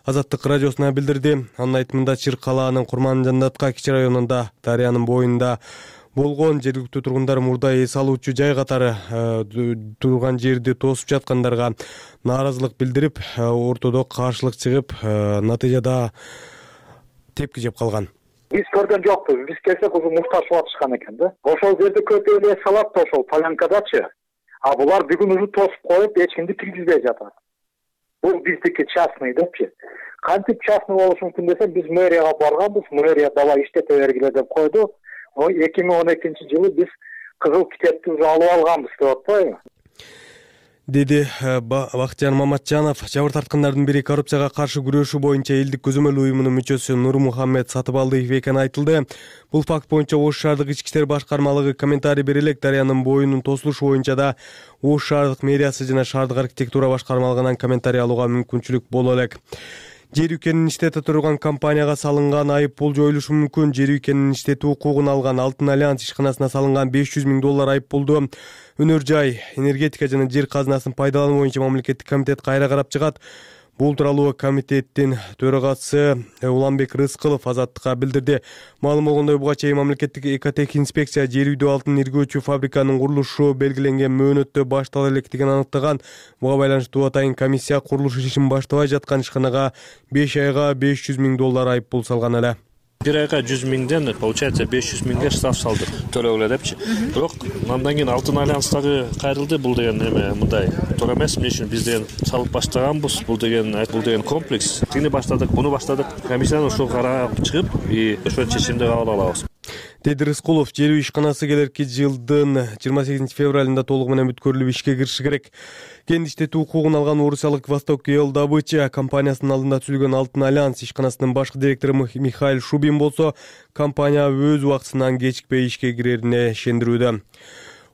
Азаттык радиосуна билдирди. Анын айтымында Чыр калаанын Курманжандатка кичи районунда дарыянын боюнда болгон жергиликтүү тургундар мурда эс алуучу жай катары турган жерди тосуп жаткандарга нааразылык билдирип, ортодо каршылык чыгып, натыйжада тепки жеп калган. Биз көргөн жокпуз. Биз келсек ушул мушташып атышкан экен да. Ошол жерде көп эле салат да ошол полянкадачы. А булар бүгүн уже тосуп коюп, эч кимди киргизбей жатат. Бул биздики частный депчи. Кантип частный болушу мүмкүн десем, биз мэрияга барганбыз. Мэрия давай иштете бергиле деп койду. 2012-жылы биз кызыл китепти уже алып алганбыз деп атпайбы? Деди Бактияр Маматжанов. Жабыр тарткандардын бири коррупцияга каршы күрөшүү боюнча элдик көзөмөл уюмунун мүчөсү Нурмухаммед Сатыбалдиев экени айтылды. Бул факт боюнча Ош шаардык ички иштер башкармалыгы комментарий бере элек. Дарыянын боюнун тосулушу боюнча да Ош шаардык мэриясы жана шаардык архитектура башкармалыгынан комментарий алууга мүмкүнчүлүк боло элек. Жер үйкенин иштете турган компанияга салынган айып пул жоюлушу мүмкүн. Жер үйкенин иштетүү укугун алган Алтын Альянс ишканасына салынган 500 000 доллар айып пулду өнөр жай, энергетика жана жер казынасын пайдалануу боюнча мамлекеттик комитет кайра карап чыгат. Бул тууралуу комитеттин төрагасы Уланбек Рыскылов Азаттыкка билдирди. Маалым болгондой, буга чейин мамлекеттик экотех инспекция жер үйдө алтын иргөөчү фабриканын курулушу белгиленген мөөнөттө баштала электигин аныктаган. Буга байланыштуу атайын комиссия курулуш ишин баштабай жаткан ишканага 5 айга 500 000 доллар айып пул салган эле. Бир айга 100 000ден получается 500 000ге штраф салды. Төлөгүлө депчи. Бирок андан кийин Алтын Альянстагы кайрылды. Бул деген эме мындай туура эмес. Эмне үчүн биз деген салып баштаганбыз. Бул деген комплекс. Тигини баштадык, буну баштадык. Комиссияны ошол карап чыгып, ошол чечимди кабыл алабыз. Деди Рыскулов. Жер үй ишканасы келерки жылдын 28 февралында толугу менен бүткөрүлүп ишке кириши керек. Кен иштетүү укугун алган орусиялык Восток Эл Добыча компаниясынын алдында түзүлгөн Алтын Альянс ишканасынын башкы директору Михаил Шубин болсо, компания өз убактысынан кечикпей ишке кирерине ишендирүүдө.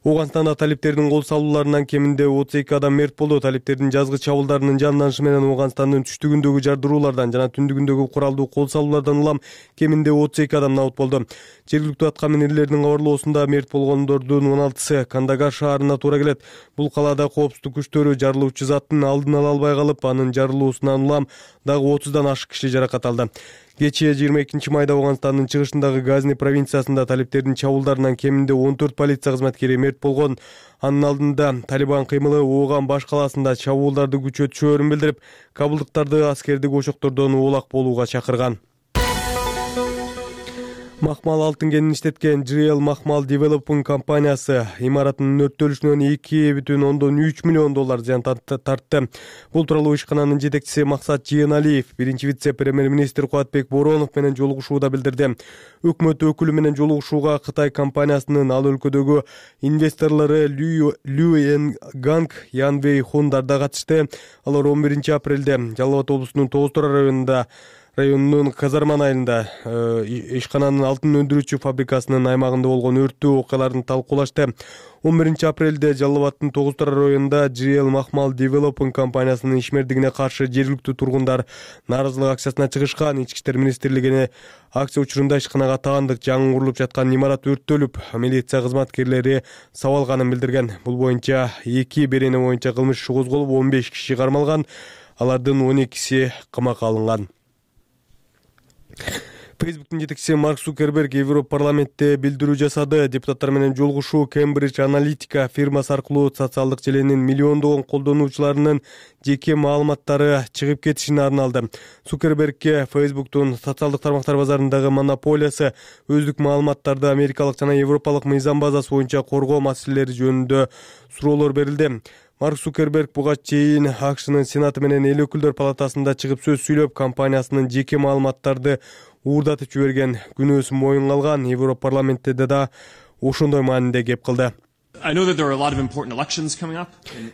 Ооганстанда талиптердин кол салууларынан кеминде 32 адам мерт болду. Талиптердин жазгы чабуулдарынын жанданышы менен Ооганстандын түштүгүндөгү жардыруулардан жана түндүгүндөгү куралдуу кол салуулардан улам кеминде 32 адам набыт болду. Жергиликтүү аткаминерлердин кабарлоосунда мерт болгондордун 16сы Кандагар шаарына туура келет. Бул калаада коопсуздук күчтөрү жарылуучу заттын алдын ала албай калып, анын жарылуусунан улам дагы 30дан ашык киши жаракат алды. Кечээ 22 майда Ооганстандын чыгышындагы Газни провинциясында талиптердин чабуулдарынан кеминде 14 полиция кызматкери мерт болгон. Анын алдында Талибан кыймылы Ооган баш калаасында чабуулдарды күчөтүшөөрүн билдирип, кабылдыктарды аскердик очоктордон оолак болууга чакырган. Махмал алтын кенин иштеткен GL Махмал Development компаниясы имараттын өрттөлүшүнөн 2,3 миллион доллар зыян тартты. Бул тууралуу ишкананын жетекчиси Максат Жыйеналиев биринчи вице-премьер-министр Кубатбек Боронов менен жолугушууда билдирди. Өкмөт өкүлү менен жолугушууга Кытай компаниясынын ал өлкөдөгү инвесторлору Лю Ганг Янвей Хундар да катышты. Алар 11 апрелде Жалал Абад облусунун Тоғыз Тура районунун Казарман айылында ишкананын алтын өндүрүүчү фабрикасынын аймагында болгон өрттүү окуяларын талкуулашты. 11 апрелде Жалал Абадтын Тоғыз Тура районунда GL Махмал Development компаниясынын ишмердигине каршы жергиликтүү тургундар нааразылык акциясына чыгышкан. Ички иштер министрлигине акция учурунда ишканага таандык жаңы курулуп жаткан имарат өрттөлүп, милиция кызматкерлери сабалганын билдирген. Бул боюнча 2 берене боюнча кылмыш иши козголуп, 15 киши кармалган. Алардын 12си камакка алынган. Фейсбуктун жетекчиси Марк Цукерберг Европарламентте билдирүү жасады. Депутаттар менен жолугушуу Cambridge Analytica фирмасы аркылуу социалдык желенин миллиондогон колдонуучуларынын жеке маалыматтары чыгып кетишине арналды. Цукербергке Фейсбуктун социалдык тармактар базарындагы монополиясы, өздүк маалыматтарды америкалык жана европалык мыйзам базасы боюнча коргоо маселелери жөнүндө суроолор берилди. Марк Цукерберг буга чейин АКШнын Сенаты менен эл өкүлдөр палатасында чыгып сөз сүйлөп, компаниясынын жеке маалыматтарды уурдатып жиберген күнөөсүн моюнга алган. Европарламентте да ошондой мааниде кеп кылды.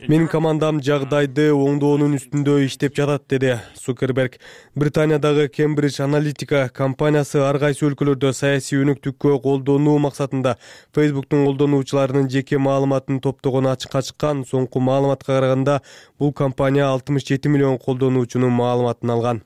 Менин командам жагдайды оңдоонун үстүндө иштеп жатат, деди Цукерберг. Британиядагы Cambridge Analytica компаниясы ар кайсы өлкөлөрдө саясий өнүктүккө колдонуу максатында Фейсбуктун колдонуучуларынын жеке маалыматын топтогону ачыкка чыккан. Соңку маалыматка караганда бул компания 67 миллион колдонуучунун маалыматын алган.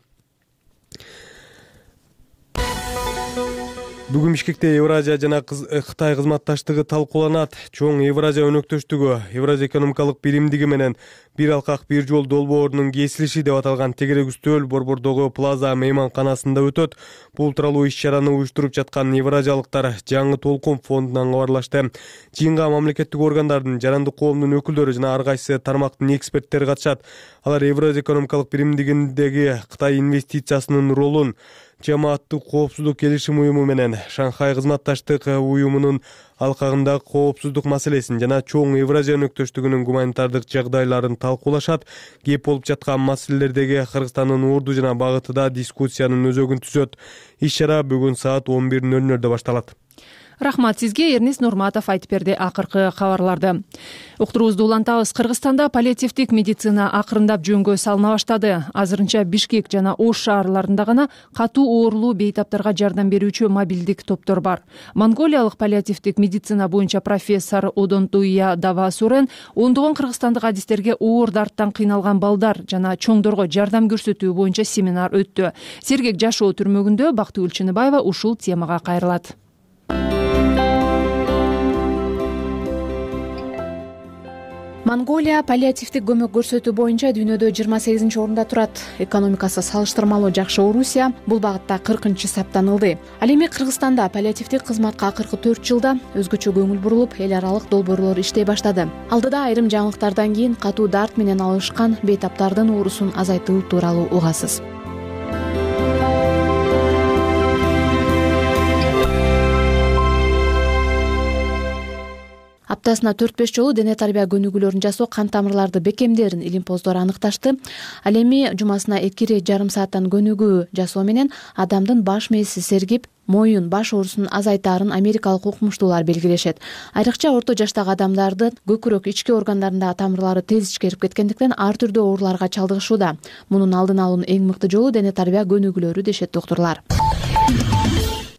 Бүгүн Бишкекте Евразия жана Кытай кызматташтыгы талкууланат. Чоң Евразия өнөктөштүгү, Евразия экономикалык биримдиги менен бир алкак бир жол долбоорунун кесилиши деп аталган тегерек үстөл Борбордогу Плаза мейманканасында өтөт. Бул тууралуу иш-чараны уюштуруп жаткан евразиялыктар Жаңы толкун фондунан кабарлашты. Жыйынга мамлекеттик органдардын, жарандык коомдун өкүлдөрү жана ар кайсы тармактын эксперттери катышат. Алар Евразия экономикалык биримдигиндеги Кытай инвестициясынын ролун, жамааттык коопсуздук келишим уюму менен Шанхай кызматташтык уюмунун алкагындагы коопсуздук маселесин жана чоң Евразия өнөктөштүгүнүн гуманитардык жагдайларын талкуулашат. Кеп болуп жаткан маселелердеги Кыргызстандын орду жана багыты да дискуссиянын өзөгүн түзөт. Иш-чара бүгүн саат 11:00 башталат. Рахмат сизге, Эрнис Нурматов айтып берди акыркы кабарларды. Уктуруубузду улантабыз. Кыргызстанда паллиативдик медицина акырындап жөнгө салына баштады. Азырынча Бишкек жана Ош шаарларында гана катуу оорулуу бейтаптарга жардам берүүчү мобилдик топтор бар. Монголиялык паллиативдик медицина боюнча профессор Одонтуя Давасурен ондогон кыргызстандык адистерге оор дарттан кыйналган балдар жана чоңдорго жардам көрсөтүү боюнча семинар өттү. Сергек жашоо түрмөгүндө Бактыгүл Чыныбаева ушул темага кайрылат. Монголия паллиативдик көмөк көрсөтүү боюнча дүйнөдө 28-орунда турат. Экономикасы салыштырмалуу жакшы Орусия бул багытта 40-чы саптанылды. Ал эми Кыргызстанда паллиативдик кызматка акыркы 4 жылда өзгөчө көңүл бурулуп, эл аралык долбоорлор иштей баштады. Алдыда айрым жаңылыктардан кийин катуу дарт менен алышкан бейтаптардын оорусун азайтуу тууралуу угасыз. Аптасына 4-5 жолу дене тарбия көнүгүүлөрүн жасоо кан тамырларды бекемдерин илимпоздор аныкташты. Ал эми жумасына 2,5 сааттан көнүгүү жасоо менен адамдын баш мээси сергип, моюн, баш оорусун азайтаарын америкалык укмуштуулар белгилешет. Айрыкча орто жаштагы адамдардын көкүрөк ички органдарындагы тамырлары тез ичкерип кеткендиктен ар түрдүү ооруларга чалдыгышууда. Мунун алдын алуунун эң мыкты жолу дене тарбия көнүгүүлөрү дешет доктурлар.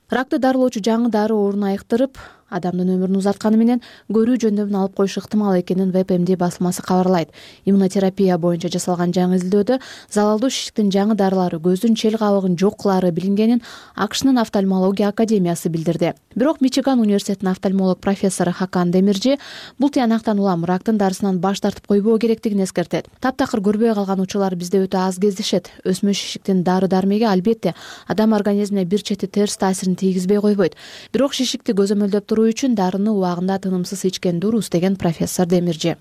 Ракты дарылоочу жаңы дары оорун айыктырып, адамдын өмүрүн узатканы менен көрүү жөндөмүн алып коюшу ыктымал экенин ВПМД басылмасы кабарлайт. Иммунотерапия боюнча жасалган жаңы изилдөөдө залалдуу шишиктин жаңы дарылары көздүн чел кабыгын жок кылаары билингенин АКШнын офтальмология академиясы билдирди. Бирок Мичиган университетинин офтальмолог профессору Хакан Демиржи бул тыянактан улам рактын дарысынан баш тартып койбоо керектигин эскертет. Таптакыр көрбөй калган учурлар бизде өтө аз кездешет. Өсмө шишиктин дары-дармеги албетте адам организмине бир чети терс таасирин тийгизбей койбойт. Бирок шишикти көзөмөлдөп туруу үчүн дарыны убагында тынымсыз ичкен дурус, деген профессор Демиржи.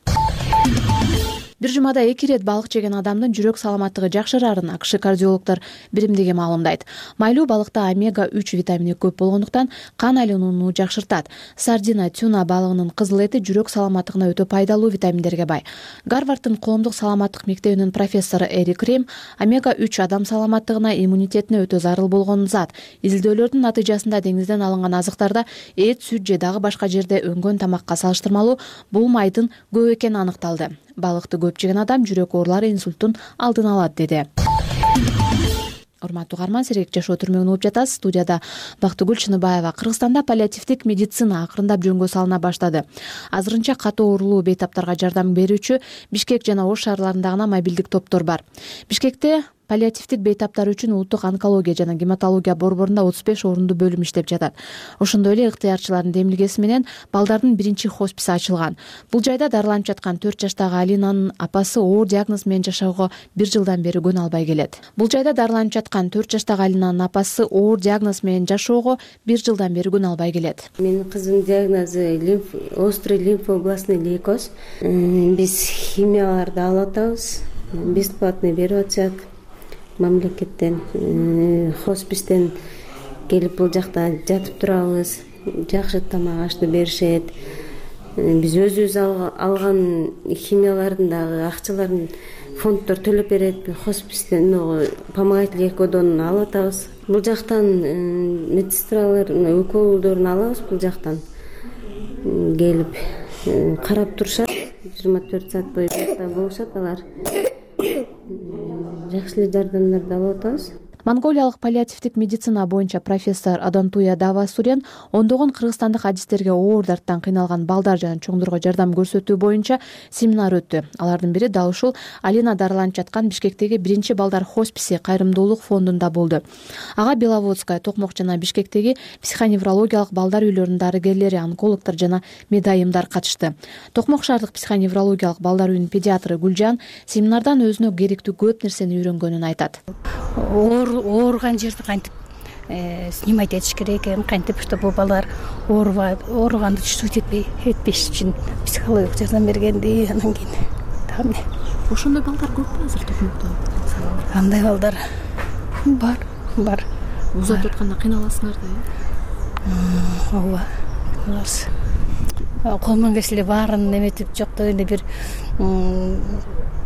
Бир жумада 2 рет балык жеген адамдын жүрөк саламаттыгы жакшыраарын АКШ кардиологдор биримдиги маалымдайт. Майлуу балыкта омега-3 витамини көп болгондуктан кан айланууну жакшыртат. Сардина, тюна балыгынын кызыл эти жүрөк саламаттыгына өтө пайдалуу витаминдерге бай. Гарварддын коомдук саламаттык мектебинин профессору Эрик Рем омега-3 адам саламаттыгына, иммунитетине өтө зарыл болгон зат. Изилдөөлөрдүн натыйжасында деңизден алынган азыктарда эт, сүт же дагы башка жерде өнгөн тамакка салыштырмалуу бул майдын көп экени аныкталды. Балыкты көп жеген адам жүрөк оорулары, инсульттун алдын алат, деди. Урматтуу угарман, Сергек жашоо түрмөгүн угуп жатасыз. Студияда Бактыгүл Чыныбаева. Кыргызстанда паллиативдик медицина акырындап жөнгө салына баштады. Азырынча катуу оорулуу бейтаптарга жардам берүүчү Бишкек жана Ош шаарларында гана мобилдик топтор бар. Бишкекте паллиативдик бейтаптар үчүн улуттук онкология жана гематология борборунда 35 орунду бөлүм иштеп жатат. Ошондой эле ыктыярчылардын демилгеси менен балдардын биринчи хосписи ачылган. Бул жайда дарыланып жаткан 4 жаштагы Алинанын апасы оор диагноз менен жашоого 1 жылдан бери көн албай келет. Бул жайда дарыланып жаткан 4 жаштагы Алинанын апасы оор диагноз менен жашоого 1 жылдан бери көн албай келет. Менин кызымдын диагнозу острый лимфообластный лейкоз. Биз химияларды алып атабыз. Бесплатный берип атышат мамлекеттен. Хоспистен келип бул жакта жатып турабыз. Жакшы тамак ашты беришет. Биз өзүбүз алган химиялардын дагы акчаларын фонддор төлөп берет. Хоспистен помогательный экодон алып атабыз. Бул жактан медсестралар уколдорун алабыз. Бул жактан келип карап турушат. 24 саат бою жакта болушат алар. Жакшы эле жардамдарды алып атабыз. Монголиялык паллиативдик медицина боюнча профессор Адантуя Давасурян ондогон кыргызстандык адистерге оор дарттан кыйналган балдар жана чоңдорго жардам көрсөтүү боюнча семинар өттү. Алардын бири дал ушул Алина дарыланып жаткан Бишкектеги биринчи балдар хосписи кайрымдуулук фондунда болду. Ага Беловодская, Токмок жана Бишкектеги психоневрологиялык балдар үйлөрүнүн дарыгерлери, онкологдор жана медайымдар катышты. Токмок шаардык психоневрологиялык балдар үйүнүн педиатры Гүлжан семинардан өзүнө керектүү көп нерсени үйрөнгөнүн айтат. Ооруган жерди кантип снимать этиш керек экен, кантип чтобы балдар ооруганды чувствовать этпеш үчүн психологиялык жардам бергенди. Анан кийин ошондой балдар көппү азыр Токмокто? Андай балдар бар. Узатып атканда кыйналасыңар да, ооба, кыйналабыз. Колунан келсе эле баарын эметип жокто эле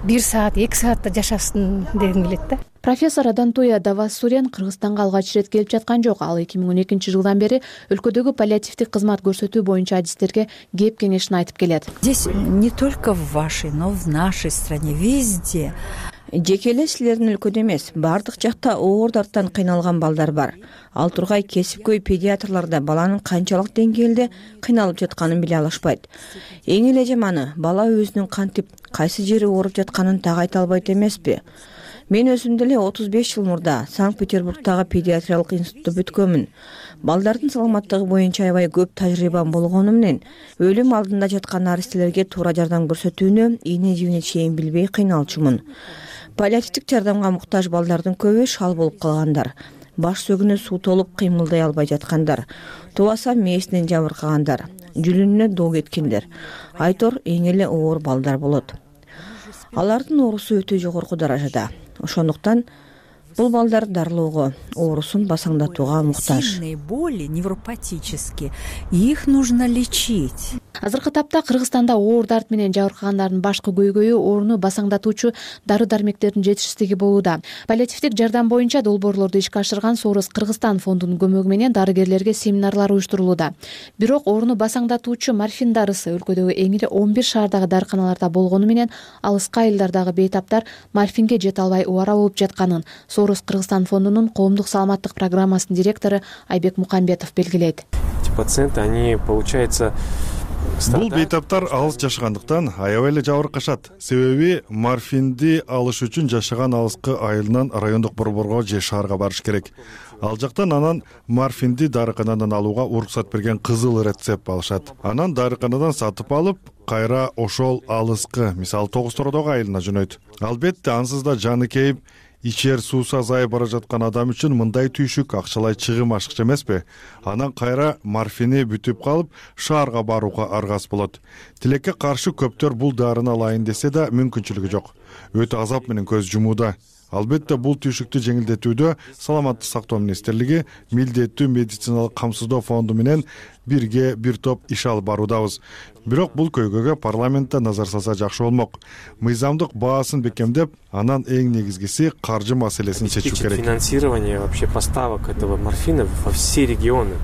бир саат, 2 саатта жашасын дегим келет да. Профессор Адантуя Давасурян Кыргызстанга алгач ирет келип жаткан жок. Ал 2012 жылдан бери өлкөдөгү паллиативдик кызмат көрсөтүү боюнча адистерге кеп кеңешин айтып келет. Здесь не только в вашей, но в нашей стране, везде. Жеке эле силердин өлкөдө эмес, бардык жакта оор дарттан кыйналган балдар бар. Ал тургай кесипкөй педиатрлар да баланын канчалык деңгээлде кыйналып жатканын биле алышпайт. Эң эле жаманы, бала өзүнүн кантип, кайсы жери ооруп жатканын так айта албайт эмеспи? Мен өзүм деле 35 жыл мурда Санкт-Петербургдагы педиатриялык институтта бүткөнмүн. Балдардын саламаттыгы боюнча аябай көп тажрыйбам болгону менен өлүм алдында жаткан наристелерге туура жардам көрсөтүүнү ийне жибине чейин билбей кыйналчумун. Паллиативдик жардамга муктаж балдардын көбү шал болуп калгандар. Баш сөгүнү суу толуп кыймылдай албай жаткандар. Тубаса мээсинен жабыркагандар. Жүлүнүнө доо кеткендер. Айтор эң эле оор балдар болот. Алардын оорусу өтө жогорку даражада. Ошондуктан бул балдар дарылоого, оорусун басаңдатууга муктаж. Сильные боли невропатические, их нужно лечить. Азыркы тапта Кыргызстанда оор дарт менен жабыркагандардын башкы көйгөйү ооруну басаңдатуучу дары-дармектердин жетишсиздиги болууда. Паллиативдик жардам боюнча долбоорлорду ишке ашырган Соорус Кыргызстан фондунун көмөгү менен дарыгерлерге семинарлар уюштурулууда. Бирок ооруну басаңдатуучу морфин дарысы өлкөдөгү эң ири 11 шаардагы дарыканаларда болгону менен алыскы айылдардагы бейтаптар морфинге жете албай убара болуп жатканын Соорус Кыргызстан фондунун коомдук саламаттык программасынын директору Айбек Мукамбетов белгилейт. Пациенты, они, получается, бул бейтаптар алыс жашагандыктан аябай эле жабыркашат. Себеби морфинди алыш үчүн жашаган алыскы айылынан райондук борборго же шаарга барыш керек. Ал жактан анан морфинди дарыканадан алууга уруксат берген кызыл рецепт алышат. Анан дарыканадан сатып алып, кайра ошол алыскы, мисалы Тогуз-Тородогу айылына жөнөйт. Албетте ансыз да жаны кейип, ичер суусу азайып бара жаткан адам үчүн мындай түйшүк акчалай чыгым ашыкчы эмеспи? Анан кайра морфини бүтүп калып, шаарга барууга аргас болот. Тилекке каршы көптөр бул дарыны алайын десе да мүмкүнчүлүгү жок. Өтө азап менен көз жумууда. Албетте бул түйшүктү жеңилдетүүдө Саламаттык сактоо министрлиги милдеттүү медициналык камсыздоо фонду менен бирге бир топ иш алып баруудабыз. Бирок бул көйгөйгө парламентте назар салса жакшы болмок. Мыйзамдык баасын бекемдеп, анан эң негизгиси каржы маселесин чечүү керек. Финансирование вообще поставок этого морфина во все регионы.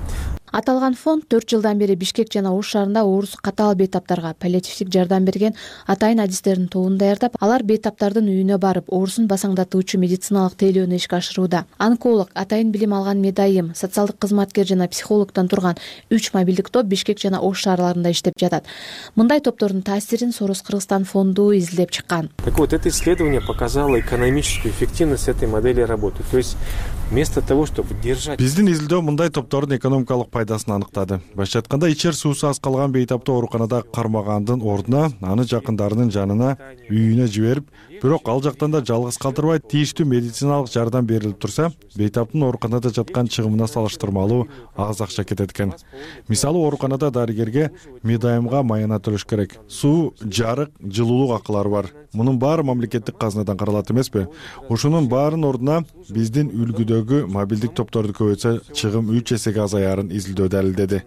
Аталган фонд 4 жылдан бери Бишкек жана Ош шаарында оорусу катаал бейтаптарга паллиативдик жардам берген атайын адистердин тобун даярдап, алар бейтаптардын үйүнө барып, оорусун басаңдатуучу медициналык тейлөөнү ишке ашырууда. Онколог, атайын билим алган медайым, социалдык кызматкер жана психологдон турган 3 мобилдик топ Бишкек жана Ош шаарларында иштеп жатат. Мындай топтордун таасирин Сорос Кыргызстан фонду изилдеп чыккан. Так вот, это исследование показало экономическую эффективность этой модели работы. То есть вместо того, чтобы держать... Биздин изилдөө мындай топтордун экономикалык пайдасын аныктады. Башкача айтканда, ичер суусу аз калган бейтапты ооруканада кармагандын ордуна аны жакындарынын жанына, үйүнө жиберип, бирок ал жактан да жалгыз калтырбай тийиштүү медициналык жардам берилип турса, бейтаптын ооруканада жаткан чыгымына салыштырмалуу аз акча кетет экен. Мисалы, ооруканада дарыгерге медайымга майына төлөш керек. Суу, жарык, жылуулук акылары бар. Мунун баары мамлекеттик казынадан каралат эмеспи? Ушунун баарынын ордуна биздин үлгүдөгү мобилдик топторду көбөйтсө, чыгым 3 эсеге азаярын изилдөө далилдеди.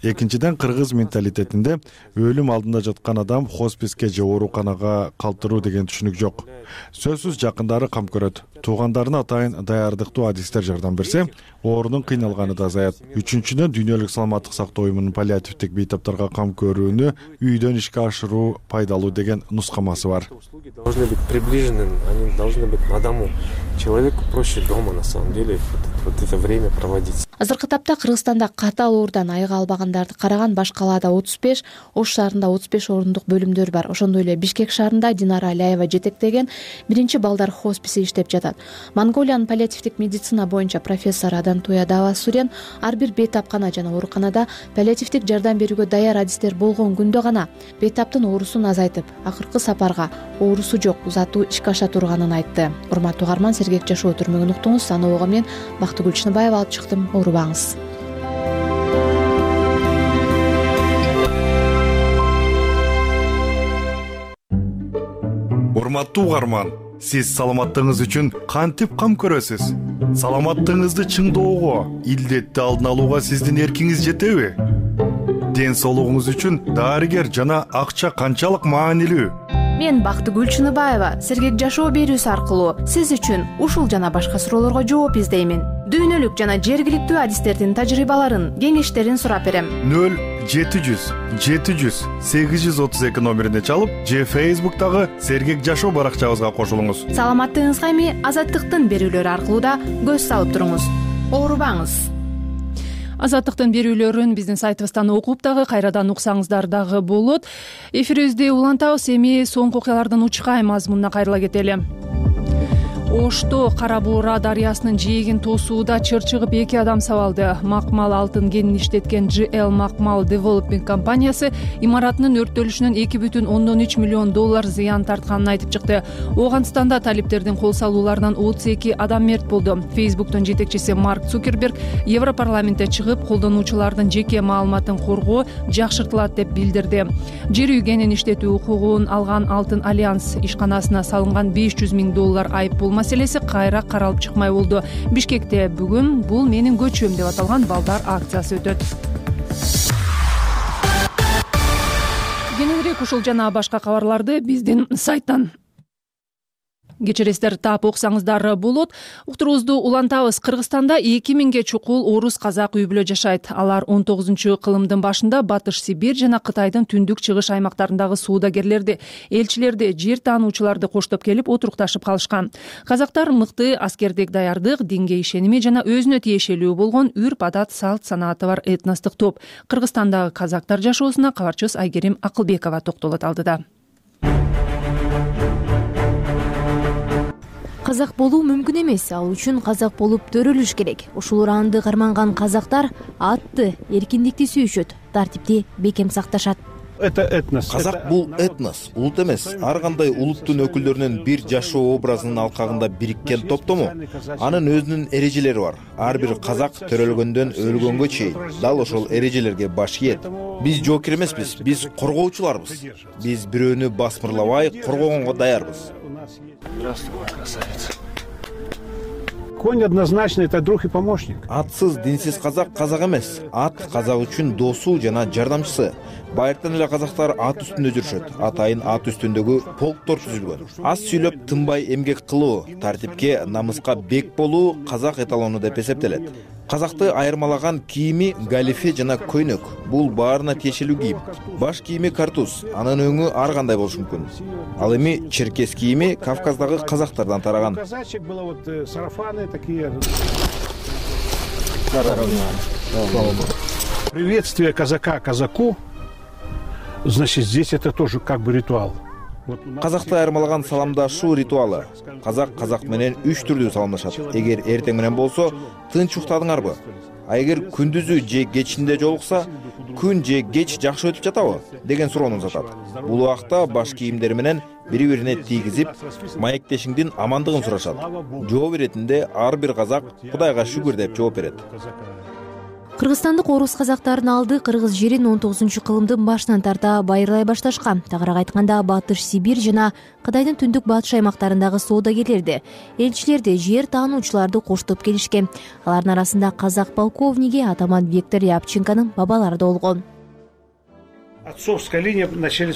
Экинчиден, кыргыз менталитетинде өлүм алдында жаткан адам хосписке же ооруканага калтыруу деген түшүнүк жок. Сөзсүз жакындары кам көрөт. Туугандарына атайын даярдыктуу адистер жардам берсе, оорунун кыйналганы да азаят. Үчүнчүдөн, дүйнөлүк саламаттык сактоо уюмунун паллиативдик бейтаптарга кам көрүүнү үйдөн ишке ашыруу пайдалуу деген нускамасы бар. Услуги должны быть приближены, они должны быть на дому. Человеку проще дома, на самом деле, вот это время проводить. Азыркы тапта Кыргызстанда катаал оорудан айыга албагандарды караган баш калаада 35, Ош шаарында 35 орундук бөлүмдөр бар. Ошондой эле Бишкек шаарында Динара Аляева жетектеген биринчи балдар хосписи иштеп жатат. Монголиянын паллиативдик медицина боюнча профессор Адантуя Давасурян ар бир бейтапкана жана ооруканада паллиативдик жардам берүүгө даяр адистер болгон күндө гана бейтаптын оорусун азайтып, акыркы сапарга оорусу жок зату ишке аша турганын айтты. Урматтуу угарман, Сергек Жашоо түрмөгүн уктуңуз. Анобого мен Бактыгүл Чыныбаева алып чыктым. Оорубаңыз. Урматтуу угарман, сиз саламаттыгыңыз үчүн кантип кам көрөсүз? Саламаттыгыңызды чыңдоого, илдетти алдын алууга сиздин эркиңиз жетеби? Ден соолугуңуз үчүн дарыгер жана акча канчалык маанилүү? Мен Бактыгүл Чыныбаева Сергек Жашоо берүүсү аркылуу сиз үчүн ушул жана башка суроолорго жооп издеймин. Дүйнөлүк жана жергиликтүү адистердин тажрыйбаларын, кеңештерин сурап берем. 0700 700 832 номерине чалып, же Facebook'тагы Сергек Жашоо баракчабызга кошулуңуз. Саламаттыгыңызга эми Азаттыктын берүүлөрү аркылуу да көз салып туруңуз. Оорубаңыз. Азаттыктын берүүлөрүн биздин сайтыбыздан окуп дагы, кайрадан уксаңыздар дагы болот. Эфирибизди улантабыз. Эми соңку окуялардын учкай мазмунуна кайрыла кетели. Ошто Кара Буура дарыясынын жээгин тосууда чыр чыгып 2 адам сабалды. Макмал алтын кенин иштеткен GL Макмал Development компаниясы имаратынын өрттөлүшүнөн 2,3 миллион доллар зыян тартканын айтып чыкты. Оогандыстанда талиптердин кол салууларынан 32 адам мерт болду. Facebook'тун жетекчиси Марк Цукерберг Европарламентте чыгып, колдонуучулардын жеке маалыматын коргоо жакшыртылат деп билдирди. Жер үй кенин иштетүү укугун алган Алтын Альянс ишканасына салынган 500 000 доллар айыппул маселеси кайра каралып чыкмай болду. Бишкекте бүгүн бул менин көчөм деп аталган балдар акциясы өтөт. Кененирээк ушул жана башка кабарларды биздин сайттан кечиресиздер, таап окусаңыздар болот. Уктуруубузду улантабыз. Кыргызстанда 2000ге чукул орус казак үй бүлө жашайт. Алар 19-кылымдын башында Батыш Сибирь жана Кытайдын түндүк чыгыш аймактарындагы суудагерлерди, элчилерди, жер таануучуларды коштоп келип отурукташып калышкан. Казактар мыкты аскердик даярдык, динге ишеними жана өзүнө тиешелүү болгон үрп адат, салт санааты бар этностук топ. Кыргызстандагы казактар жашоосуна кабарчыбыз Айгерим Акылбекова токтолот алдыда. Казак болуу мүмкүн эмес, ал үчүн казак болуп төрөлүш керек. Ушул ураанды карманган казактар атты, эркиндикти сүйүшөт, тартипти бекем сакташат. Это этнос. Казак бул этнос, улут эмес. Ар кандай улуттун өкүлдөрүнүн бир жашоо образынын алкагында бириккен топтому. Анын өзүнүн эрежелери бар. Ар бир казак төрөлгөндөн өлгөнгө чейин дал ошол эрежелерге баш ийет. Биз жоокер эмеспиз, биз коргоочуларбыз. Биз бирөөнү басмырлабай коргогонго даярбыз. Здравствуй, красавица. Конь однозначно это друг и помощник. Атсыз, динсиз казак казак эмес. Ат казак үчүн досу жана жардамчысы. Байыртан эле казактар ат үстүндө жүрүшөт. Атайын ат үстүндөгү полктор түзүлгөн. Аз сүйлөп, тынбай эмгек кылуу, тартипке, намыска бек болуу казак эталону деп эсептелет. Казакты айырмалаган кийими галифе жана көйнөк. Бул баарына тиешелүү кийим. Баш кийими картуз, анын өңү ар кандай болушу мүмкүн. Ал эми черкес кийими Кавказдагы казактардан тараган. Приветствие казака казаку, значит, здесь это тоже как бы ритуал. Казакты айырмалаган саламдашуу ритуалы. Казак менен 3 түрдүү саламдашат. Эгер эртең менен болсо, тынч уктадыңарбы? А эгер күндүзү же кечинде жолукса, күн же кеч жакшы өтүп жатабы деген суроону узатат. Бул убакта баш кийимдери менен бири-бирине тийгизип, маектешиңдин амандыгын сурашат. Жооп беретинде ар бир казак Кудайга шүгүр деп жооп берет. Кыргызстандык орус казактарын алды кыргыз жерин 19-кылымдын башынан тарта байырлай башташкан. Тагыраак айтканда Батыш Сибирь жана Кытайдын түндүк батыш аймактарындагы соодагерлерди, элчилерди, жер таануучуларды коштоп келишкен. Алардын арасында казак полковниги атаман Виктор Рябченконун бабалары да болгон. Отцовская линия начали...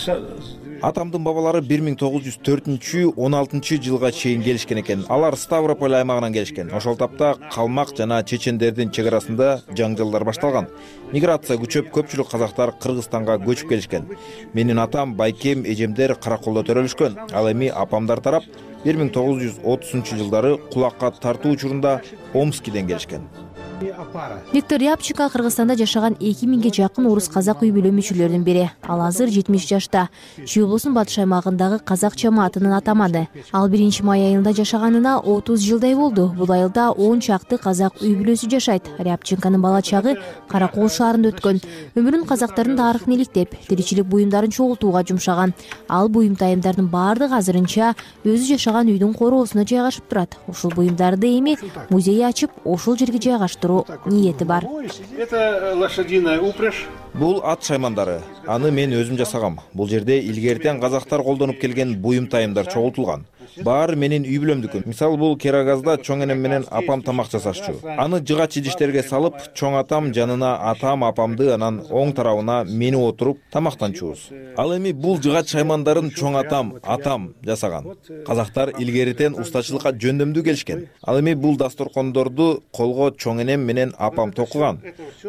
Атамдын бабалары 1904-16 жылга чейин келишкен экен. Алар Ставрополь аймагынан келишкен. Ошол тапта калмак жана чечендердин чек арасында жаңжалдар башталган. Миграция күчөп, көпчүлүк казактар Кыргызстанга көчүп келишкен. Менин атам, байкем, эжемдер Караколдо төрөлүшкөн. Ал эми апамдар тарап 1930-жылдары кулакка тартуу учурунда Омскиден келишкен. Виктор Рябченко Кыргызстанда жашаган 2000ге жакын орус казак үй бүлө мүчөлөрүнүн бири. Ал азыр 70 жашта. Чүй облусунун батыш аймагындагы казак жамаатынын атаманы. Ал 1-май айында жашаганына 30 жылдай болду. Бул айылда 10 чакты казак үй бүлөсү жашайт. Рябченконун бала чагы Каракол шаарында өткөн. Өмүрүн казактардын тарыхын иликтеп, тиричилик буюмдарын чогултууга жумшаган. Ал буюм тайымдардын баардыгы азырынча өзү жашаган үйдүн короосуна жайгашып турат. Ушул буюмдарды эми музей ачып, ошол жерге жайгаштыруу ниети бар. Это лошадиная упряжь. Бул ат шаймандары. Аны мен өзүм жасагам. Бул жерде илгертен казактар колдонуп келген буюм тайымдар чогултулган. Баары менин үй бүлөмдүкү. Мисалы бул Керагазда чоң энем менен апам тамак жасашчу. Аны жыгач идиштерге салып, чоң атам жанына атам апамды, анан оң тарабына мени отуруп тамактанчубуз. Ал эми бул жыгач шаймандарын чоң атам жасаган. Казактар илгертен устачылыкка жөндөмдүү келишкен. Ал эми бул дасторкондорду колго чоң энем менен апам токуган.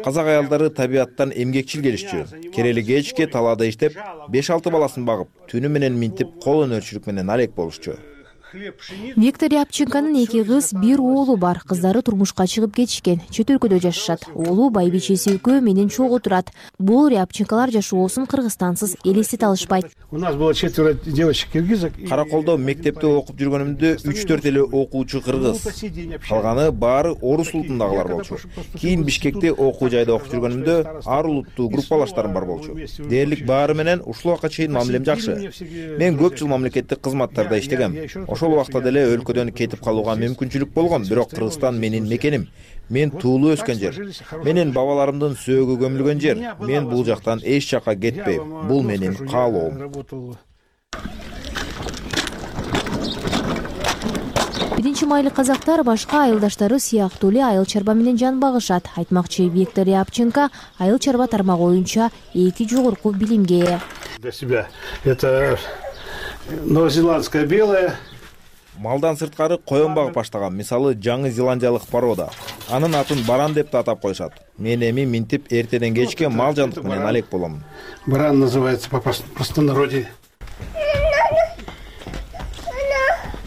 Казак аялдары табиаттан эмгекчил келишчү. Керели кечке талаада иштеп, 5-6 баласын багып, түнү менен минтип, кол өнөрчүлүк менен алек болушчу. Виктор Рябченконун 2 кыз, 1 оолу бар. Кыздары турмушка чыгып кетишкен. Чет өлкөдө жашашат. Оолу байбичеси экөө менен чогуу турат. Бул Рябченколор жашоосун Кыргызстансыз элестете алышпайт. У нас было 4 девочек киргизок. Караколдо мектепте окуп жүргөнүмдө 3-4 эле окуучу кыргыз. Калганы баары орус улутундагылар болчу. Кийин Бишкекте окуу жайда окуп жүргөнүмдө ар улуттуу группалаштарым бар болчу. Дээрлик баары менен ушул убакка чейин мамилем жакшы. Мен көп жыл мамлекеттик кызматтарда иштегем. Ошол убакта деле өлкөдөн кетип калууга мүмкүнчүлүк болгон, бирок Кыргызстан менин мекеним. Мен туулуу өскөн жер. Менин бабаларымдын сөөгү көмүлгөн жер. Мен бул жактан эч жакка кетпейм. Бул менин каалоом. 1-майлык казактар башка айылдаштары сыяктуу эле айыл чарба менен жан багышат. Айтмакчы Виктор Рябченко айыл чарба тармагы боюнча 2 жогорку билимге ээ. Для себя это новозеландская белая. Малдан сырткары коен багып баштаган. Мисалы жаңы зеландиялык порода. Анын атын баран деп да атап коюшат. Мен эми минтип эртеден кечке мал жандык менен алек болом. Баран называется по простонародье.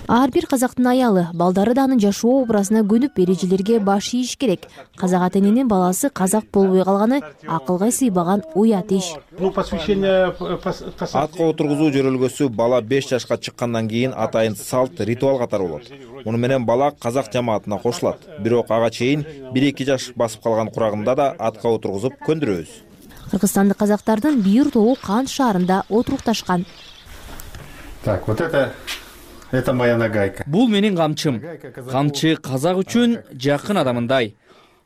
Ар бир казактын аялы, балдары да анын жашоо образына көнүп эрежелерге баш ийиш керек. Казак ата-эненин баласы казак болбой калганы акылга сыйбаган уят иш. Атка отургузуу жөрөлгөсү бала 5 жашка чыккандан кийин атайын салт, ритуал катары болот. Муну менен бала казак жамаатына кошулат. Бирок ага чейин 1-2 жаш басып калган курагында да атка отургузуп көндүрөбүз. Кыргызстандык казактардын бир тобу Кант шаарында отурукташкан. Так, вот это моя нагайка. Бул менин камчым. Камчы казак үчүн жакын адамындай.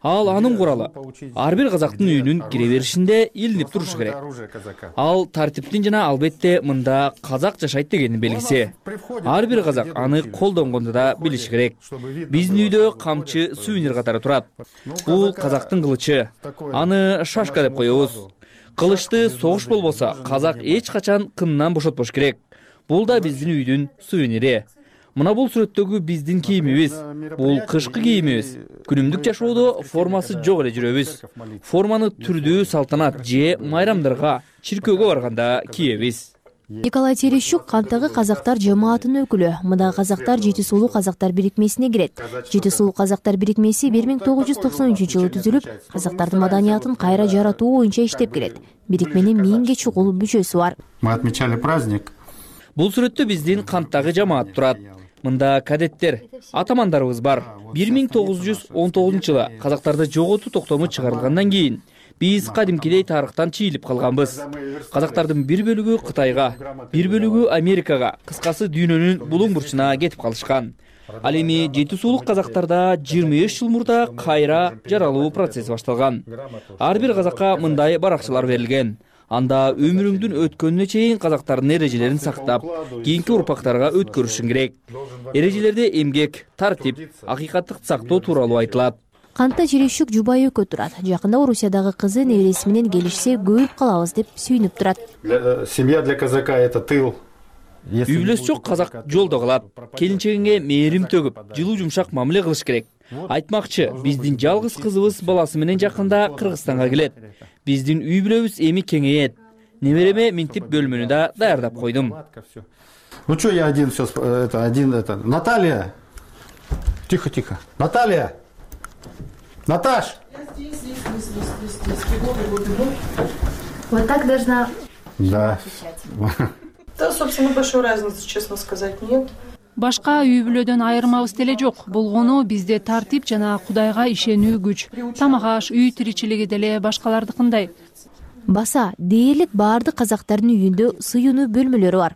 Ал анын куралы. Ар бир казактын үйүнүн кире беришинде илинип турушу керек. Ал тартиптин жана албетте мында казак жашайт дегендин белгиси. Ар бир казак аны колдонгонду да билиши керек. Биздин үйдө камчы сувенир катары турат. Бул казактын кылычы. Аны шашка деп коебуз. Кылычты согуш болбосо казак эч качан кынынан бошотпош керек. Бул да биздин үйдүн сувенири. Мына бул сүрөттөгү биздин кийимибиз. Бул кышкы кийимибиз. Күнүмдүк жашоодо формасы жок эле жүрөбүз. Форманы түрдүү салтанат же майрамдарга, чиркөөгө барганда кийебиз. Николай Терещук кантагы казактар жамаатынын өкүлү. Мында казактар Жети сулуу казактар бирикмесине кирет. Жети сулуу казактар бирикмеси 1993-жылы түзүлүп, казактардын маданиятын кайра жаратуу боюнча иштеп келет. Бирикменин 1000ге чукул мүчөсү бар. Мы отмечали праздник. Бул сүрөттө биздин канттагы жамаат турат. Мында кадеттер, атамандарыбыз бар. 1919-жылы казактарды жоготуу токтому чыгарылгандан кийин биз кадимкидей тарыхтан чийилип калганбыз. Казактардын бир бөлүгү Кытайга, бир бөлүгү Америкага, кыскасы дүйнөнүн булуң бурчуна кетип калышкан. Ал эми Жети сулуу казактарда 25 жыл мурда кайра жаралуу процесси башталган. Ар бир казакка мындай баракчалар берилген. Анда өмүрүңдүн өткөнүнө чейин казактардын эрежелерин сактап, кийинки урпактарга өткөрүшүң керек. Эрежелерде эмгек, тартип, акыйкаттыкты сактоо тууралуу айтылат. Кантта Терещук жубайы экөө турат. Жакында Орусиядагы кызы небереси менен келишсе көбүп калабыз деп сүйүнүп турат. Семья для казака это тыл. Үй бүлөсү жок казак жолдо калат. Келинчегиңе мээрим төгүп, жылуу жумшак мамиле кылыш керек. Айтмакчы, биздин жалгыз кызыбыз баласы менен жакында Кыргызстанга келет. Биздин үй бүлөбүз эми кеңейет. Небереме минтип бөлмөнү да даярдап койдум. Ну что, я один сейчас, это. Наталья. Тихо. Наталья. Наташ! Здесь. Вот так должна... Да. Да, собственно, большой разницы, честно сказать, нет. Башка үй бүлөдөн айырмабыз деле жок. Болгону бизде тартип жана Кудайга ишенүү күч. Тамак аш, үй тиричилиги деле башкалардыкындай. Баса, дээрлик баардык казактардын үйүндө сыюунуу бөлмөлөрү бар.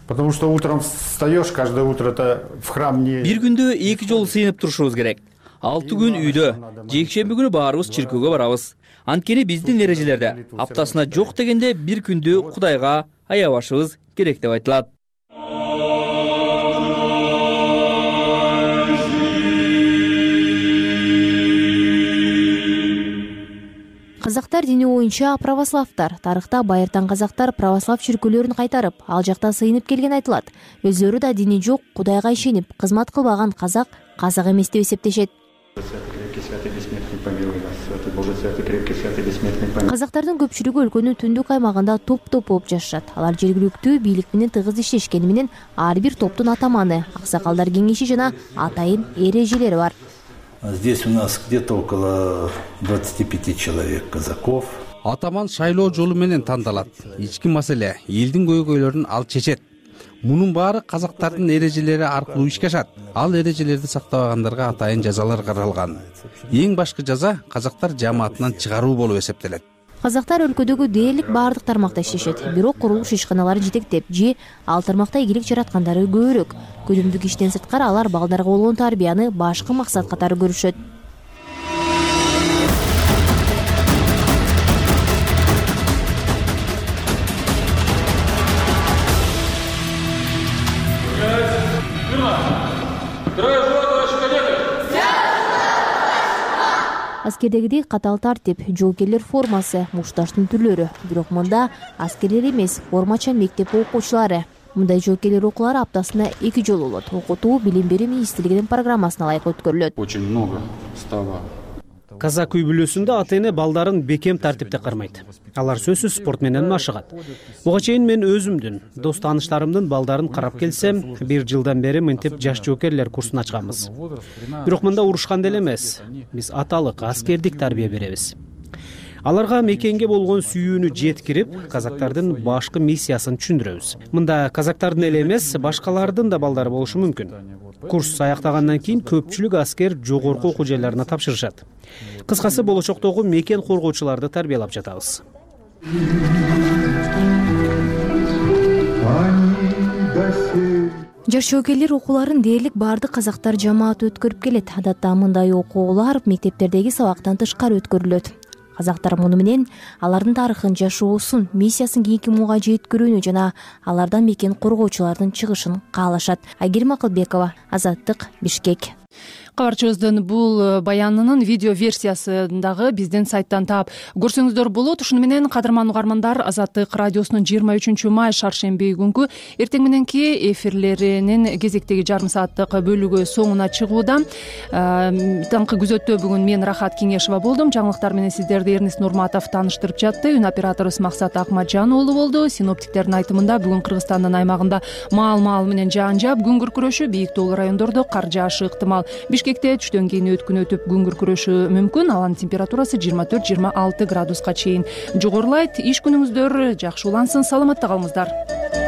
Потому что утром встаешь, каждое утро это в храм не... Бир күндө 2 жолу сыйынып турушубуз керек. 6 күн үйдө, жекшемби күнү баарыбыз чиркөөгө барабыз. Анткени биздин эрежелерде аптасына жок дегенде бир күндү Кудайга аябашыбыз керек деп айтылат. Казактар дини боюнча православтар. Тарыхта байыртан казактар православ чиркөөлөрүн кайтарып, ал жакта сыйынып келген айтылат. Өздөрү да дини жок, Кудайга ишенип, кызмат кылбаган казак эмес деп эсептешет. Казактардын көпчүлүгү өлкөнүн түндүк аймагында топ-топ болуп жашашат. Алар жергиликтүү бийлик менен тыгыз иштешкени менен ар бир топтун атаманы, аксакалдар кеңеши жана атайын эрежелери бар. Здесь у нас где-то около 25 человек казаков. Атаман шайлоо жолу менен тандалат. Ички маселе, элдин көйгөйлөрүн ал чечет. Мунун баары казактардын эрежелери аркылуу ишке ашат. Ал эрежелерди сактабагандарга атайын жазалар каралган. Эң башкы жаза казактар жамаатынан чыгаруу болуп эсептелет. Казактар өлкөдөгү дээрлик баардык тармакта иштешет. Бирок курулуш ишканалары жетектеп же ал тармакта ийгилик жараткандары көбүрөөк. Күнүмдүк иштен сырткары алар балдарга болгон тарбияны башкы максат катары көрүшөт. Аскердегидей катаал тартип, жоокерлер формасы, мушташтын түрлөрү. Бирок мында аскерлер эмес, формачан мектеп окуучулары. Мындай жоокерлер окуулары аптасына 2 жолу болот. Окутуу Билим берүү министрлигинин программасына ылайык өткөрүлөт. Очень много стало. Казак үй бүлөсүндө ата-эне балдарын бекем тартипте кармайт. Алар сөзсүз спорт менен машыгат. Буга чейин мен өзүмдүн, дос тааныштарымдын балдарын карап келсем, 1 жылдан бери мынтип жаш жоокерлер курсун ачканбыз. Бирок мында урушкан деле эмес. Биз аталык, аскердик тарбия беребиз. Аларга мекенге болгон сүйүүнү жеткирип, казактардын башкы миссиясын түшүндүрөбүз. Мында казактардын эле эмес, башкалардын да балдары болушу мүмкүн. Курс аяктагандан кийин көпчүлүк аскер жогорку окуу жайларына тапшырышат. Кыскасы болочоктогу мекен коргоочуларды тарбиялап жатабыз. Жаш жоокерлер окууларын дээрлик баардык казактар жамааты өткөрүп келет. Адатта мындай окуулар мектептердеги сабактан тышкары өткөрүлөт. Казактар муну менен алардын тарыхын, жашоосун, миссиясын кийинки муунга жеткирүүнү жана алардан мекен коргоочулардын чыгышын каалашат. Айгерим Акылбекова, Азаттык, Бишкек. Кабарчыбыздын бул баянынын видео версиясын дагы биздин сайттан таап көрсөңүздөр болот. Ушуну менен кадырман угармандар, Азаттык радиосунун 23 май шаршемби күнкү эртең мененки эфирлеринин кезектеги жарым сааттык бөлүгү соңуна чыгууда. Таңкы күзөттө бүгүн мен Рахат Кеңешова болдум. Жаңылыктар менен сиздерди Эрнис Нурматов тааныштырып жатты. Үн операторубуз Максат Акматжан уулу болду. Синоптиктердин айтымында бүгүн Кыргызстандын аймагында маал менен жаан жаап, күн күркүрөшү, бийик тоолуу райондордо кар жаашы ыктымал. Бишкекте түштөн кийин өткүн өтүп күн күркүрөшү мүмкүн. Аланын температурасы 24-26 градуска чейин жогорулайт. Иш күнүңүздөр жакшы улансын, саламатта калыңыздар.